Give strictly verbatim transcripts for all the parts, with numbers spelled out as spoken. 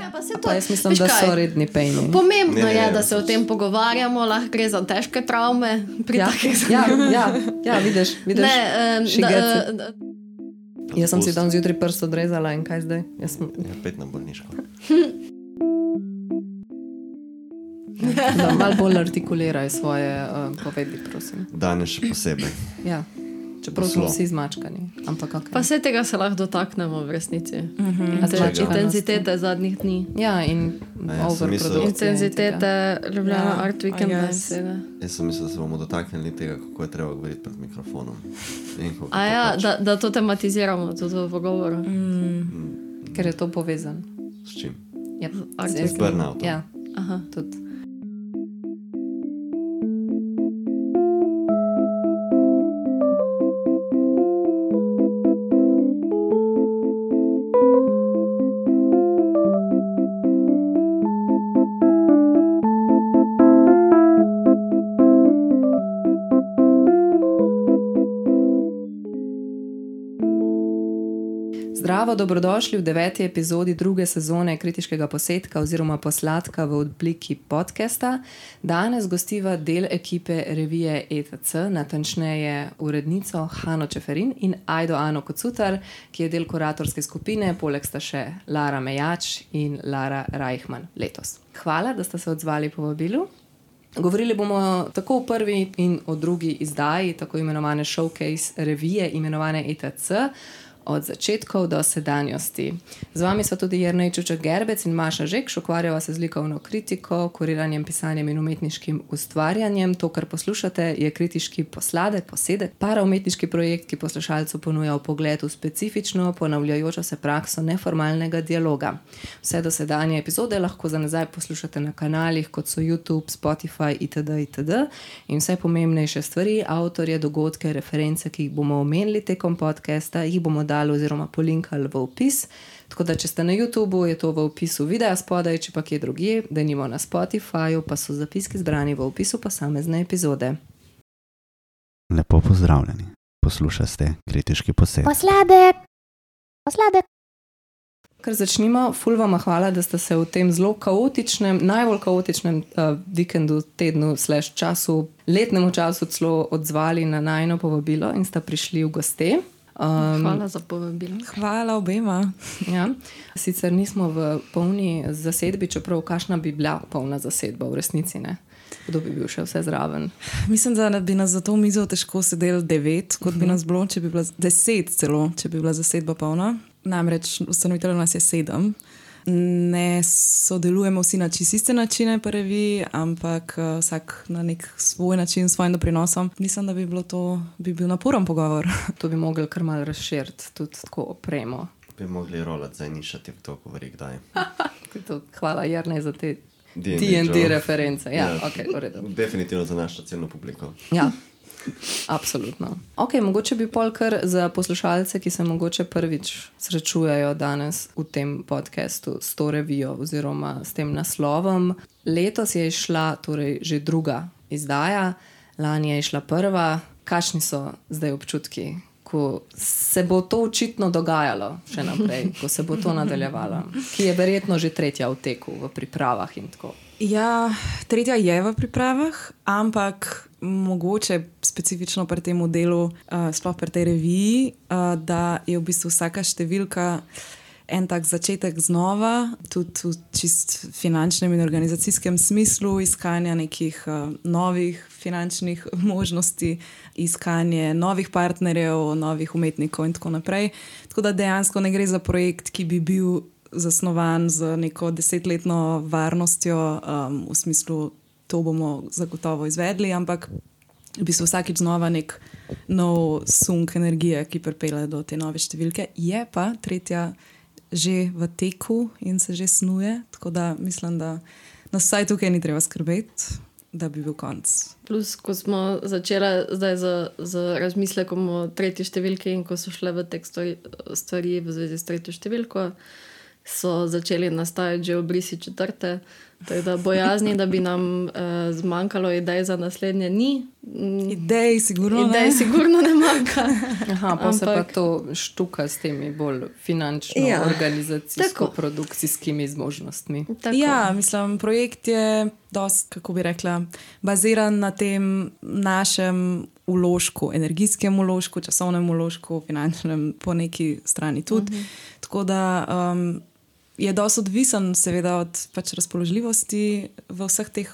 Ja, pa, to, pa jaz mislim, da so redni pejni. Pomembno ne, ne, je, da se o tem pogovarjamo, lahko gre za težke travme pri ja, takih ja, ja, ja, vidiš, vidiš. Ne, um, da, da, jaz sem si dan zjutraj prst odrezala in kaj zdaj? Jaz sem... Ja, pet na bolniško. Da malo bolj artikuliraj svoje uh, povedi, prosim. Danes še posebej. Ja. Čeprav smo vsi zmačkani. Ampak okay. Pa vse tega se lahko dotaknemo v resnici. Uh-huh. Intenzitete zadnjih dni. Ja, in ja, overprodukcije. Intenzitete Ljubljana ja. Art Weekenda. Jaz sem mislil, da se bomo dotaknili tega, kako je treba govoriti pred mikrofonom. A ja, da, da to tematiziramo, to v pogovoru. Mm. Mm. Ker je to povezan. S čim? Ja, z burnoutom. Ja, aha, tudi. Zdravo, dobrodošli v deveti epizodi druge sezone Kritiškega posetka oziroma Posladka v obliki podcasta. Danes gostiva del ekipe revije E T C, natančneje urednico Hano Čeferin in Ajdo Ano Kocutar, ki je del kuratorske skupine, poleg sta še Lara Mejač in Lara Reichman letos. Hvala, da ste se odzvali povabilu. Govorili bomo tako o prvi in o drugi izdaji, tako imenovane showcase revije, imenovane E T C, od začetkov do sedanjosti. Z vami sva tudi Jernej Čuček Gerbec in Maša Žekš, ukvarjava se z likovno kritiko, kuriranjem, pisanjem in umetniškim ustvarjanjem. To, kar poslušate, je kritiški posladek, posedek, paraumetniški projekt, ki poslušalcu ponuja vpogled v specifično, ponavljajočo se prakso neformalnega dialoga. Vse dosedanje epizode lahko za nazaj poslušate na kanalih, kot so YouTube, Spotify itd. itd. In vse pomembnejše stvari, avtorje, dogodke, reference, ki jih bomo omenili tekom podcasta, jih bomo dali oziroma polinkali v opis. Tako da, če ste na YouTubeu, je to v opisu videa spodaj, če pa kje drugje, da nimo na Spotifyju, pa so zapiski zbrani v opisu posamezne epizode. Lepo pozdravljeni. Poslušate Kritiški posetek. Posladek! Posladek! Kar začnimo, ful vama hvala, da ste se v tem zelo kaotičnem, najbolj kaotičnem uh, vikendu, tednu, slash času, letnemu času celo odzvali na najino povabilo in sta prišli v goste. Um, Hvala za povabilo. Hvala obema. Ja, sicer nismo v polni zasedbi, čeprav kakšna bi bila polna zasedba v resnici, ne? Kdo bi bil še vse zraven? Mislim, da bi nas za to mizo težko sedeli devet, kot bi nas bilo, če bi bila deset celo, če bi bila zasedba polna. Namreč ustanovitelj nas je sedem. Ne sodelujemo vsi na čiste načine po reviji, ampak uh, vsak na nek svoj način, svojim doprinosom. Mislim, da bi bilo to, bi bil naporen pogovor. To bi mogli kar malo razširiti, tudi tako opremo. Bi mogli rolati za nišati, kdo govori kdaj. Hvala, Jernej, za te D and D, D and D reference. Ja, ja. Okay, v redu. Definitivno za našo celno publiko. Ja. Absolutno. Ok, mogoče bi pol kar za poslušalce, ki se mogoče prvič srečujejo danes v tem podcastu s to revijo oziroma s tem naslovom. Letos je išla torej že druga izdaja, lani je išla prva. Kakšni so zdaj občutki, ko se bo to očitno dogajalo še naprej, ko se bo to nadaljevalo, ki je verjetno že tretja v teku, v pripravah in tako? Ja, tretja je v pripravah, ampak mogoče specifično pri tem delu, uh, sploh pri tej reviji, uh, da je v bistvu vsaka številka en tak začetek znova, tudi v čist finančnem in organizacijskem smislu, iskanja nekih uh, novih finančnih možnosti, iskanje novih partnerjev, novih umetnikov in tako naprej. Tako da dejansko ne gre za projekt, ki bi bil zasnovan z neko desetletno varnostjo, um, v smislu, to bomo zagotovo izvedli, ampak v bistvu vsakič znova nek nov sunk energije, ki pripelje do te nove številke. Je pa tretja že v teku in se že snuje, tako da mislim, da nas vsaj tukaj ni treba skrbeti, da bi bil konc. Plus, ko smo začeli zdaj z, z razmislekom o tretji številki in ko so šle v tek stvari, stvari v zvezi s tretjo številko, so začeli nastajati že obrisi četrte. Tako da bojazni, da bi nam uh, zmanjkalo idej za naslednje ni. Idej sigurno idej ne. sigurno ne manjka. Aha, pa Ampak... se pa to štuka s temi bolj finančno, ja. organizacijsko-produkcijskimi zmožnostmi. Tako. Ja, mislim, projekt je dost, kako bi rekla, baziran na tem našem vložku, energijskem vložku, časovnem vložku, finančnem po neki strani tudi. Uh-huh. Tako da um, je dosti odvisen seveda od pač razpoložljivosti v vseh teh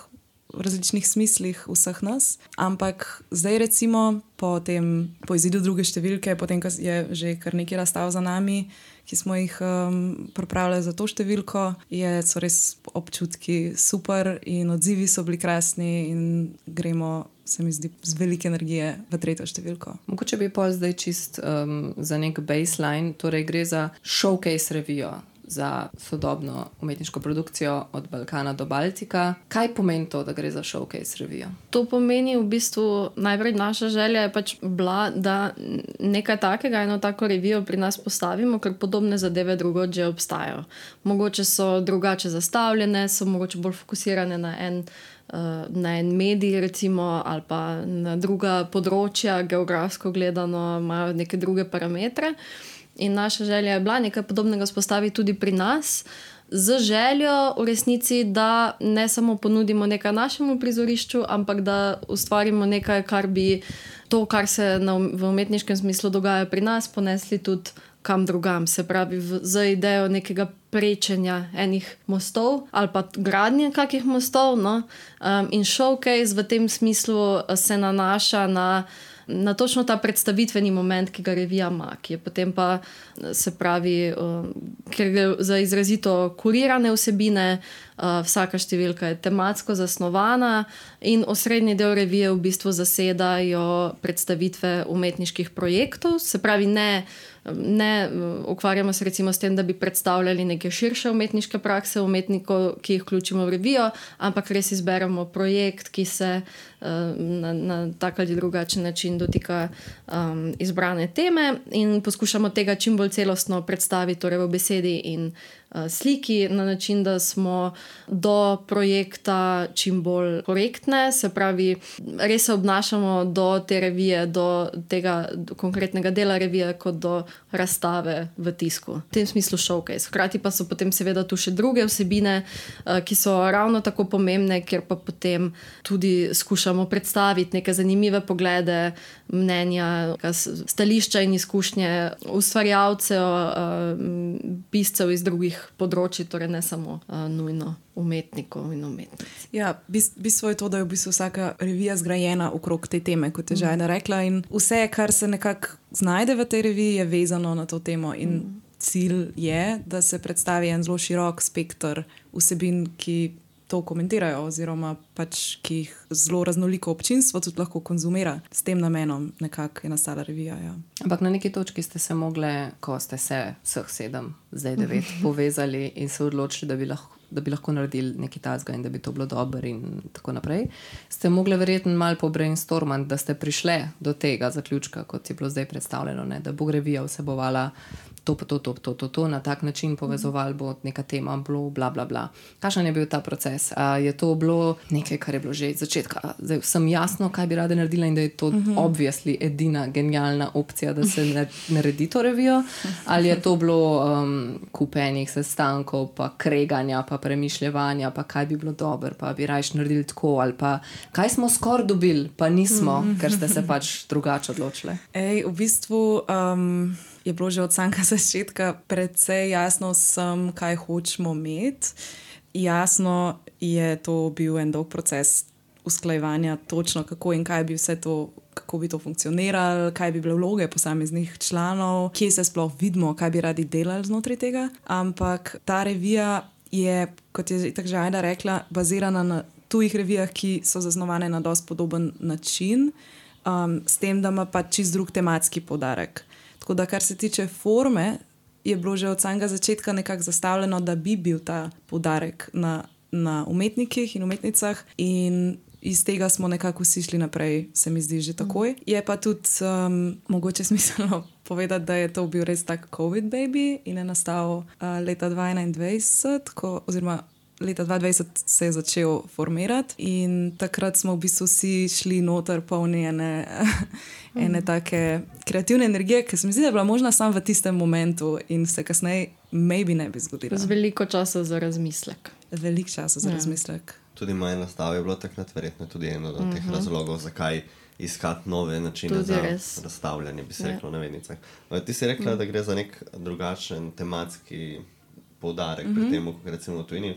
različnih smislih vseh nas, ampak zdaj recimo po, tem, po izidu druge številke, potem, ko je že kar nekaj razstav za nami, ki smo jih um, pripravili za to številko, je, so res občutki super in odzivi so bili krasni in gremo, se mi zdi, z velike energije v tretjo številko. Mogoče bi pol zdaj čist um, za nek baseline, torej gre za showcase revijo za sodobno umetniško produkcijo od Balkana do Baltika. Kaj pomeni to, da gre za showcase revijo? To pomeni v bistvu, najprej naša želja je pač bila, da nekaj takega, eno tako revijo pri nas postavimo, ker podobne zadeve drugod že obstajajo. Mogoče so drugače zastavljene, so mogoče bolj fokusirane na en na en medij recimo ali pa na druga področja, geografsko gledano imajo neke druge parametre. In naša želja je bila nekaj podobnega spostaviti tudi pri nas, z željo v resnici, da ne samo ponudimo nekaj našemu prizorišču, ampak da ustvarimo nekaj, kar bi to, kar se na, v umetniškem smislu dogaja pri nas, ponesli tudi kam drugam. Se pravi, v, z idejo nekega prečenja enih mostov ali pa gradnje kakih mostov. No? Um, in showcase v tem smislu se nanaša na na točno ta predstavitveni moment, ki ga revija ima, ki je potem pa, se pravi, uh, ker gre za izrazito kurirane vsebine, uh, vsaka številka je tematsko zasnovana in osrednji del revije v bistvu zasedajo predstavitve umetniških projektov, se pravi, ne Ne ukvarjamo se recimo s tem, da bi predstavljali neke širše umetniške prakse umetnikov, ki jih vključimo v revijo, ampak res izberemo projekt, ki se uh, na, na tak ali drugačen način dotika um, izbrane teme in poskušamo tega čim bolj celostno predstaviti, torej v besedi in uh, sliki, na način, da smo do projekta čim bolj korektne, se pravi, res se obnašamo do te revije, do tega do konkretnega dela revije, kot do razstave v tisku. V tem smislu showcase. Hkrati pa so potem seveda tu še druge vsebine, ki so ravno tako pomembne, kjer pa potem tudi skušamo predstaviti neke zanimive poglede, mnenja, stališča in izkušnje ustvarjalcev, piscev iz drugih področji, torej ne samo nujno umetnikov in umetnic. Ja, bistvo je to, da je v bistvu vsaka revija zgrajena okrog te teme, kot je Žajna rekla, in vse, kar se nekako znajde v tej reviji, je vezano na to temo in mm. cilj je, da se predstavi en zelo širok spektr vsebin, ki to komentirajo oziroma pač, ki jih zelo raznoliko občinstvo tudi lahko konzumira. S tem namenom nekako je nastala revija. Ja. Ampak na neki točki ste se mogle, ko ste se vseh sedem, zdaj devet, povezali in se odločili, da bi lahko da bi lahko naredili nekaj tazga in da bi to bilo dobro in tako naprej. Ste mogli verjetno malo pobrainstormati, da ste prišli do tega zaključka, kot je bilo zdaj predstavljeno, ne? Da bo revija vsebovala to, to, to, to, to, to, na tak način povezoval bo neka tema, bilo, bla, bla, bla. Kakšen je bil ta proces? A je to bilo nekaj, kar je bilo že iz začetka? Zdaj vsem jasno, kaj bi rada naredila in da je to uh-huh. obviously edina genialna opcija, da se naredi to revijo? Ali je to bilo um, kupenih sestankov, pa kreganja, pa premišljevanja, pa kaj bi bilo dobro, pa bi rajš naredili tako, ali pa kaj smo skoraj dobili, pa nismo, uh-huh. ker ste se pač drugače odločili? Ej, v bistvu um, je bilo že od samega začetka precej jasno vsem, kaj hočemo imeti. Jasno je to bil en dolg proces usklajevanja točno, kako in kaj bi vse to, kako bi to funkcioniralo, kaj bi bile vloge posameznih članov, kje se sploh vidimo, kaj bi radi delali znotraj tega. Ampak ta revija je, kot je tako že Ajda rekla, bazirana na tujih revijah, ki so zasnovane na dosti podoben način, um, s tem, da ima pa čist drug tematski poudarek. Tako da, kar se tiče forme, je bilo že od samega začetka nekako zastavljeno, da bi bil ta poudarek na, na umetnikih in umetnicah in iz tega smo nekako vsi šli naprej, se mi zdi že takoj. Je pa tudi um, mogoče smiselno povedati, da je to bil res tak COVID baby in je nastal uh, leta dva tisoč enaindvajset, ko, oziroma leta dva tisoč dvajset se je začel formirati in takrat smo v bistvu vsi šli noter polni ene, ene take kreativne energije, ki se mi zdi, da je bila možna samo v tistem momentu in se kasneje maybe ne bi zgodila. Z veliko časa za razmislek. Veliko časa za ja. razmislek. Tudi moje nastav je bilo takrat verjetno tudi eno od teh uh-huh. razlogov, zakaj iskati nove načine tudi za res. Razstavljanje, bi se reklo ja. na vednicah. Ti si rekla, uh-huh. da gre za nek drugačen tematski poudarek uh-huh. pri tem, kot recimo v tujini.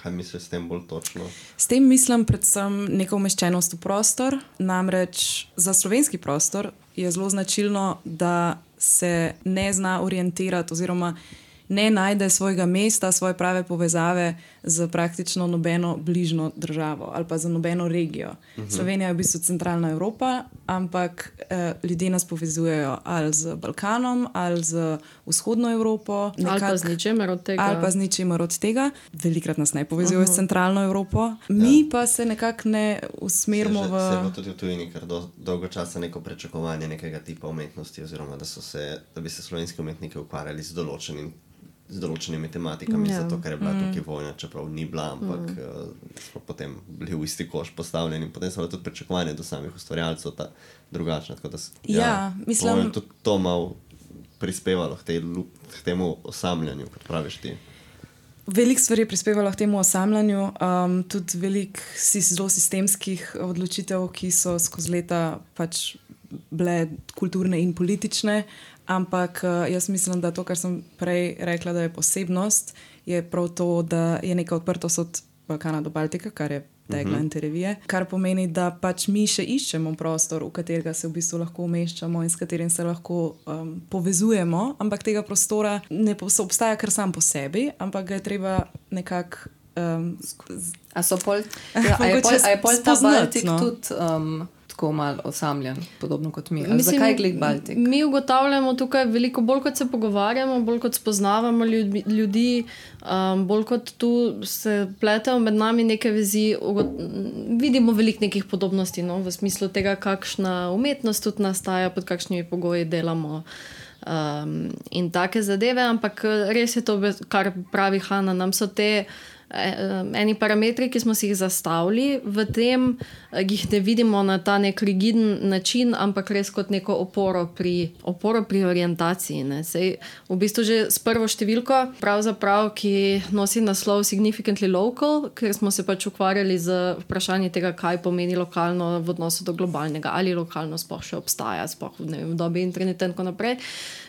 Kaj misliš s tem bolj točno? S tem mislim predvsem neko umeščenost v prostor. Namreč za slovenski prostor je zelo značilno, da se ne zna orientirati oziroma ne najde svojega mesta, svoje prave povezave z praktično nobeno bližnjo državo ali pa za nobeno regijo. Uh-huh. Slovenija je v bistvu centralna Evropa, ampak eh, ljudje nas povezujejo ali z Balkanom, ali z vzhodno Evropo. Nekak, ali pa z ničemer od tega. Ali pa z ničemer od tega. Velikrat nas ne povezujejo uh-huh. s centralno Evropo. Mi ja. pa se nekako ne usmerimo v... Se je tudi v tujini kar do, dolgo časa neko pričakovanje nekega tipa umetnosti, oziroma da, so se, da bi se slovenski umetniki ukvarjali z določenim z določenimi tematikami, yeah. zato ker je bila mm. tukaj vojna, čeprav ni bila, ampak mm. uh, smo potem bili v isti koš postavljeni in potem so tudi pričakovanje do samih ustvarjalcev ta drugačna. Tako da ja, ja, mislim... tudi to malo prispevalo k, tej, k temu osamljanju, kot praviš ti. Veliko stvari je prispevalo k temu osamljanju, um, tudi veliko zelo sistemskih odločitev, ki so skozi leta pač bile kulturne in politične. Ampak jaz mislim, da to, kar sem prej rekla, da je posebnost, je prav to, da je neka odprtost od Balkana do Baltika, kar je tegla in te revije, kar pomeni, da pač mi še iščemo prostor, v katerega se v bistvu lahko umeščamo in s katerim se lahko um, povezujemo, ampak tega prostora ne obstaja kar sam po sebi, ampak ga je treba nekako um, a so pol, ja, a je pol, a je pol ta Baltik no? tudi um, tako malo osamljen, podobno kot mi. Mislim, zakaj gled Baltik? Mi ugotavljamo tukaj veliko bolj, kot se pogovarjamo, bolj kot spoznavamo ljudi, ljudi um, bolj kot tu se pletejo med nami neke vezi, ugot, vidimo veliko nekih podobnosti, no, v smislu tega, kakšna umetnost tudi nastaja, pod kakšnimi pogoji delamo um, in take zadeve, ampak res je to, kar pravi Hanna, nam so te eni parametri, ki smo si jih zastavili, v tem jih ne vidimo na ta nek rigiden način, ampak res kot neko oporo pri, oporo pri orientaciji. Ne. Sej, v bistvu že s prvo številko, pravzaprav, ki nosi naslov Significantly Local, ker smo se pač ukvarjali z vprašanjem tega, kaj pomeni lokalno v odnosu do globalnega, ali lokalno sploh še obstaja, sploh ne vem, v dobi interneta in tako naprej.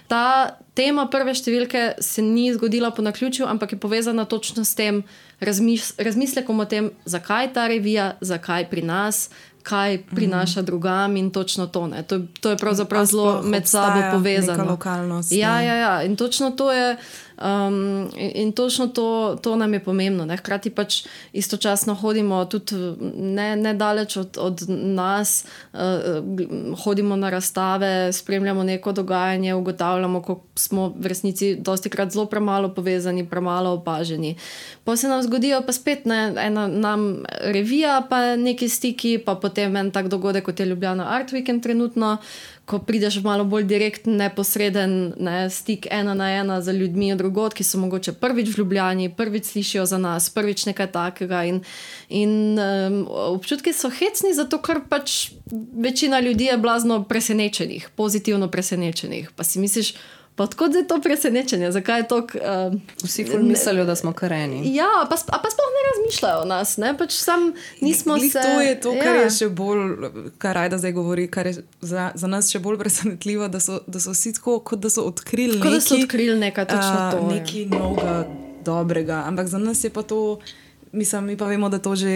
Ta tema prve številke se ni zgodila po naključju, ampak je povezana točno s tem razmis- razmislekom o tem, zakaj ta revija, zakaj pri nas, kaj prinaša mm. drugam in točno to. Ne. To, to je pravzaprav zelo med sabo povezano. Neka lokalnost. Ja, ja, ja. In točno to je um, in, in točno to, to nam je pomembno. Ne. Hkrati pač istočasno hodimo tudi ne, ne daleč od, od nas, uh, hodimo na razstave, spremljamo neko dogajanje, ugotavljamo, kako smo v resnici dostikrat zelo premalo povezani, premalo opaženi. Pa se nam zgodijo pa spet ne, ena nam revija, pa neki stiki, pa potem en tak dogodek, kot je Ljubljana Art Weekend trenutno, ko prideš malo bolj direktn, neposreden ne, stik ena na ena za ljudmi od drugod, ki so mogoče prvič v Ljubljani, prvič slišijo za nas, prvič nekaj takega in, in um, občutki so hecni, zato ker pač večina ljudi je blazno presenečenih, pozitivno presenečenih. Pa si misliš, pa odkot je to presenečenje? Zakaj je to... Uh, Vsi ful mislijo, da smo kareni. Ja, pa, a pa sploh ne razmišljajo o nas, ne? Pač sam nismo Glih se... To je to, kar ja. je še bolj, kar Ajda zdaj govori, kar je za, za nas še bolj presenetljivo, da so, da so vsi tako, kot da so odkrili kot neki... Kot da so odkrili nekaj, točno to. Uh, nekaj novega, dobrega. Ampak za nas je pa to... Mislim, mi pa vemo, da to že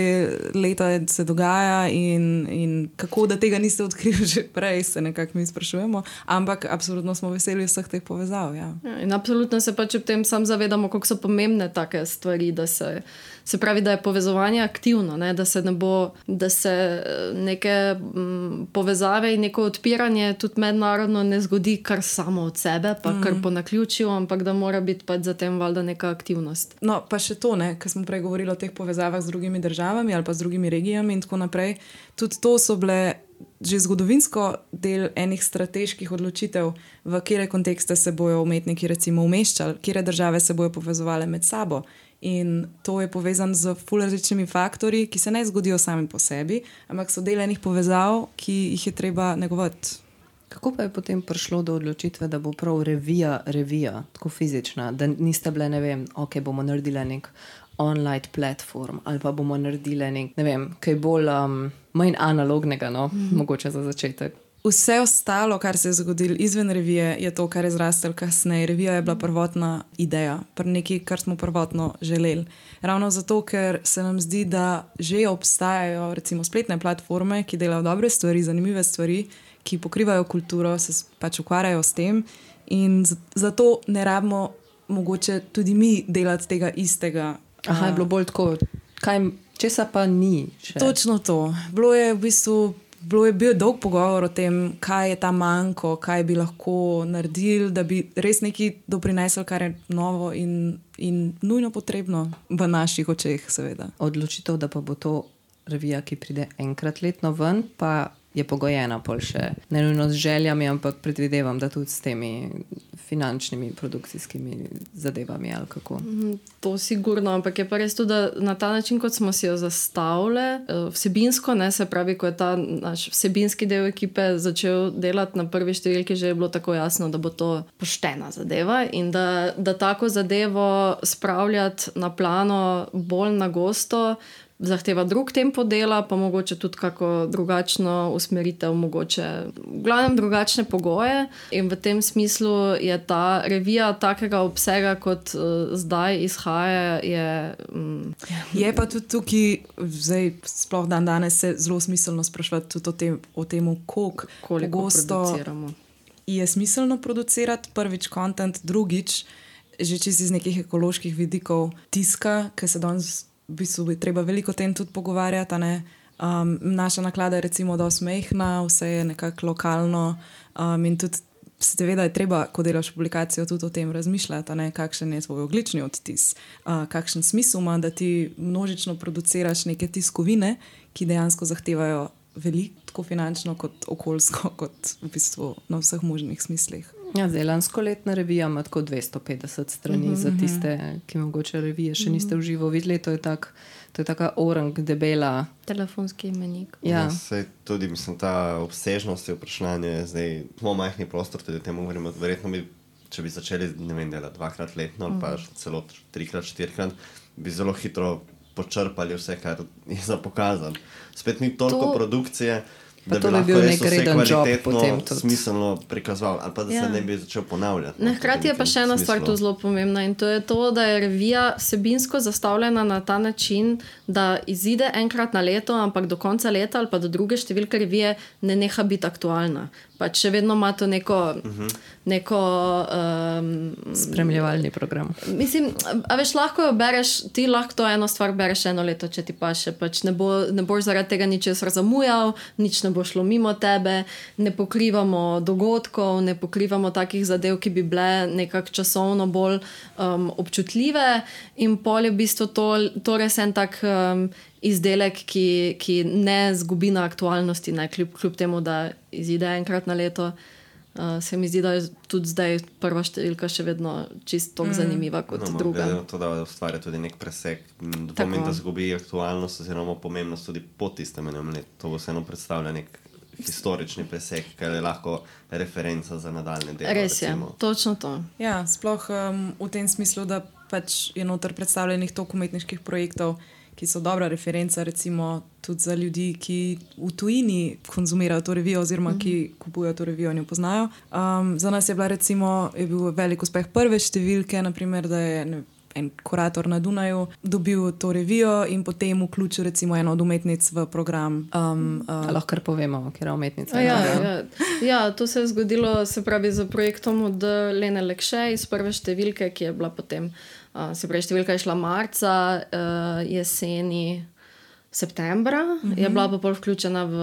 leta se dogaja in, in kako, da tega niste odkrili že prej, se nekako mi sprašujemo. Ampak absolutno smo veseli vseh teh povezav. Ja. Ja, in absolutno se pač ob tem sam zavedamo, koliko so pomembne take stvari, da se, se pravi, da je povezovanje aktivno, ne? Da se ne bo, da se neke m, povezave in neko odpiranje tudi mednarodno ne zgodi kar samo od sebe, pa mm. kar po naključju, ampak da mora biti pač za tem valjda neka aktivnost. No, pa še to, ne, ker smo prej govorili o teh teh povezavah z drugimi državami ali pa z drugimi regijami in tako naprej. Tudi to so bile že zgodovinsko del enih strateških odločitev, v kire kontekste se bojo umetniki recimo umeščali, kire države se bojo povezovale med sabo. In to je povezano z ful različnimi faktorji, ki se ne zgodijo sami po sebi, ampak so del enih povezav, ki jih je treba negovati. Kako pa je potem prišlo do odločitve, da bo prav revija, revija, tako fizična, da niste bile, ne vem, ok, bomo naredili nek online platform ali pa bomo naredili nek, ne vem, kaj bolj um, manj analognega, no, mm-hmm. mogoče za začetek. Vse ostalo, kar se je zgodilo izven revije, je to, kar je zrastel kasneje. Revija je bila prvotna ideja, nekaj, kar smo prvotno želeli. Ravno zato, ker se nam zdi, da že obstajajo recimo spletne platforme, ki delajo dobre stvari, zanimive stvari, ki pokrivajo kulturo, se pač ukvarjajo s tem in zato ne rabimo mogoče tudi mi delati tega istega. Aha, je bilo bolj tako, kaj, česa pa ni še? Točno to. Bilo je v bistvu Bilo je bil dolg pogovor o tem, kaj je ta manjko, kaj bi lahko naredili, da bi res nekaj doprinesel, kar je novo in, in nujno potrebno v naših očeh, seveda. Odločitev, da pa bo to revija, ki pride enkrat letno ven, pa je pogojena pol še ne nujno z željami, ampak predvidevam, da tudi s temi finančnimi, produkcijskimi zadevami ali kako. To sigurno, ampak je pa res tudi, da na ta način, kot smo si jo zastavili, vsebinsko, ne, se pravi, ko je ta naš vsebinski del ekipe začel delati na prvi številki, že je bilo tako jasno, da bo to poštena zadeva in da, da tako zadevo spravljati na plano bolj na gosto, zahteva drug tempo dela, pa mogoče tudi kako drugačno usmeritev, mogoče v glavnem drugačne pogoje in v tem smislu je ta revija takega obsega, kot uh, zdaj izhaja, je... Um, je pa tudi tukaj, zdaj sploh dan danes se zelo smiselno sprašvati tudi o tem, o tem koliko, koliko produciramo. Je smiselno producirati prvič content, drugič, že čisto iz nekih ekoloških vidikov tiska, ki se danes v bistvu bi treba veliko o tem tudi pogovarjati. Ne? Um, naša naklada je recimo dosti mehna, vse je nekako lokalno um, in tudi seveda je treba, ko delaš publikacijo, tudi o tem razmišljati, ne? Kakšen je tvoj ogljični odtis, uh, kakšen smisel ima, da ti množično produciraš neke tiskovine, ki dejansko zahtevajo veliko, tako finančno kot okoljsko, kot v bistvu na vseh možnih smislih. Ja, zdaj lansko letna revija ima tako dvesto petdeset strani, uh-huh, za tiste, ki mogoče revije še niste v živo videli. To je, tak, to je taka orang debela. Telefonski imenik. Ja. Ja, sej tudi, mislim, ta obsežnost je vprašanje, zdaj smo majhni prostor, tudi temu govorimo, verjetno bi, če bi začeli, ne vem, delati dvakrat letno, ali pa celo trikrat, štirikrat, bi zelo hitro počrpali vse, kar je za pokazan. Spet ni toliko to... produkcije, Pa da to bi bi bil nek reden job potem tudi smiselno prikazoval, ali pa da ja. se ne bi začel ponavljati. Ne, hkrati je pa še ena stvar tu zelo pomembna in to je to, da je revija vsebinsko zastavljena na ta način, da izide enkrat na leto, ampak do konca leta ali pa do druge številke revije ne neha biti aktualna. Pač še vedno ima to neko, uh-huh. neko um, spremljevalni program. Mislim, a veš, lahko jo bereš, ti lahko to eno stvar bereš eno leto, če ti paše, pač ne, bo, ne boš zaradi tega ničesar zamujal, nič ne bo šlo mimo tebe, ne pokrivamo dogodkov, ne pokrivamo takih zadev, ki bi bile nekako časovno bolj um, občutljive in pol je v bistvu to, to res en tak um, izdelek, ki, ki ne zgubi na aktualnosti, ne, kljub, kljub temu, da izide enkrat na leto. Uh, se mi zdi, da je tudi zdaj prva številka še vedno čisto tako mm. zanimiva kot no, druga. No, to, da ustvarja tudi nek presek, dvomim, da zgubi aktualnost oziroma pomembnost tudi po tistem enem letu. To vseeno predstavlja nek historični presek, kar je lahko referenca za nadaljne delo. Res je, recimo. Točno to. Ja, sploh um, v tem smislu, da pač je noter predstavljenih toliko umetniških projektov, ki so dobra referenca recimo tudi za ljudi, ki v tujini konzumirajo to revijo oziroma ki kupujejo to revijo in jo poznajo. Um, za nas je bila recimo, je bil velik uspeh prve številke, naprimer, da je ne, en kurator na Dunaju dobil to revijo in potem vključil recimo eno od umetnic v program. Um, uh, lahko kar povemo, kjer je umetnica. Ja, ja. ja, to se je zgodilo, se pravi, z projektom od Lene Lekše iz prve številke, ki je bila potem Uh, se pravi, številka je šla marca, uh, jeseni septembra, mm-hmm. je bila pa pol vključena v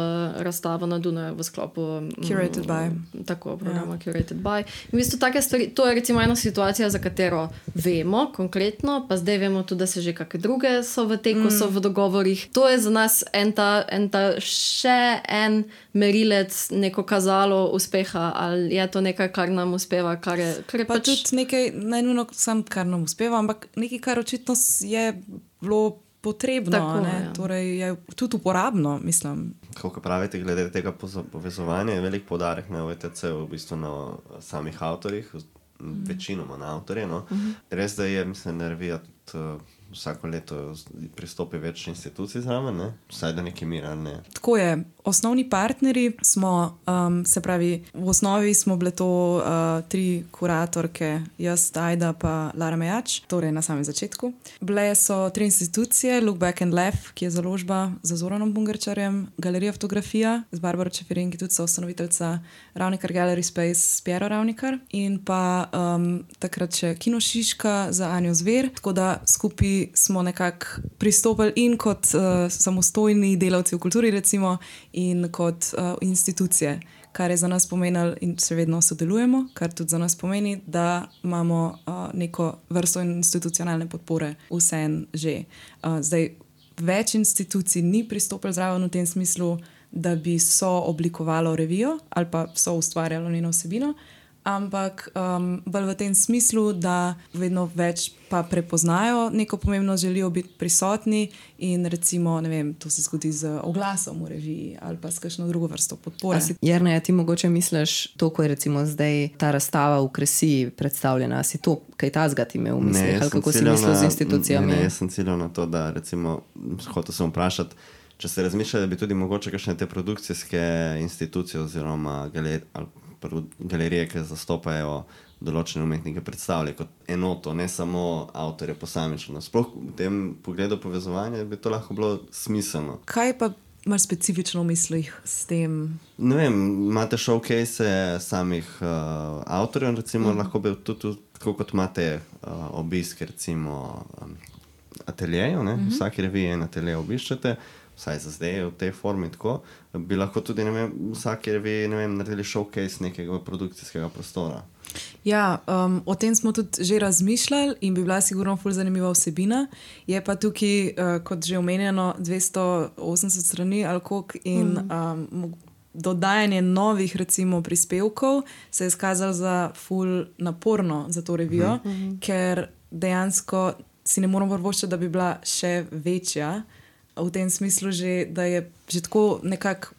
razstavo na Dunaju v sklopu Curated by. Tako, programa yeah. Curated by. In v bistvu take stvari, to je recimo ena situacija, za katero vemo konkretno, pa zdaj vemo tudi, da se že kakšne druge so v teku, mm. so v dogovorih. To je za nas en ta, en ta še en merilec, neko kazalo uspeha, ali je to nekaj, kar nam uspeva, kar je, kar je pa pač... tudi nekaj, ne nujno sam, kar nam uspeva, ampak nekaj, kar očitno je bilo potrebno, tako, ne? Ja. Torej je tudi uporabno, mislim. Kako pravite, glede tega povezovanja, je velik poudarek na O E T C, v bistvu na samih avtorjih, mm. večinoma na avtorje. No? Mm-hmm. Res, da je, mislim, da revija tudi uh, vsako leto pristopi več institucij zraven, ne? Vsaj do neke mire, ne? Tako je. Osnovni partnerji smo, um, se pravi, v osnovi smo bile to uh, tri kuratorke, jaz, Ajda pa Lara Mejač, torej na samem začetku. Bile so tri institucije, Look Back and Laugh, ki je založba za Zoranom Bungarčarjem, Galerija Fotografija z Barbaro Čeferin, ki tudi so ustanoviteljca Ravnikar Gallery Space s Piero Ravnikar in pa um, takrat še Kino Šiška za Anjo Zver, tako da skupaj smo nekako pristopili in kot uh, samostojni delavci v kulturi recimo in kot uh, institucije, kar je za nas pomenilo in se vedno sodelujemo, kar tudi za nas pomeni, da imamo uh, neko vrsto institucionalne podpore vsem že. Uh, zdaj, več institucij ni pristopilo zraven v tem smislu, da bi so oblikovalo revijo ali pa so ustvarjalo njeno vsebino, ampak um, bolj v tem smislu, da vedno več pa prepoznajo neko pomembnost, želijo biti prisotni in recimo, ne vem, to se zgodi z oglasom v reviji ali pa s kakšno drugo vrsto podpore. Jernej, ti mogoče misliš to, ko je recimo zdaj ta razstava v Kresiji predstavljena, si to kaj tazga ti imel v mislih, ali kako si mislil z institucijami? Ne, ne, jaz sem ciljal na to, da recimo, hotel sem vprašati, če ste razmišljali, da bi tudi mogoče kakšne te produkcijske institucije oziroma galer, galerije, ki zastopajo določene umetnike, predstavljajo kot enoto, ne samo avtorje posamično. Sploh v tem pogledu povezovanja bi to lahko bilo smiselno. Kaj pa imaš specifično v mislih s tem? Ne vem, imate showcase samih uh, avtorjev, recimo, mm. lahko bi tudi, tako kot imate uh, obisk, recimo, um, ateljejev, ne? Mm-hmm. Vsaki reviji en atelje obiščete, vsaj za zdaj v tej formi tako, bi lahko tudi, ne vem, vsake reviji, ne vem, naredili showcase nekega produkcijskega prostora. Ja, um, o tem smo tudi že razmišljali in bi bila sigurno ful zanimiva vsebina. Je pa tukaj, uh, kot že omenjeno, dvesto osemdeset strani ali koliko in mm. um, dodajanje novih, recimo, prispevkov se je izkazalo za ful naporno za to revijo, mm. ker dejansko si ne moramo privoščiti, da bi bila še večja. V tem smislu, že, da je že tako nekako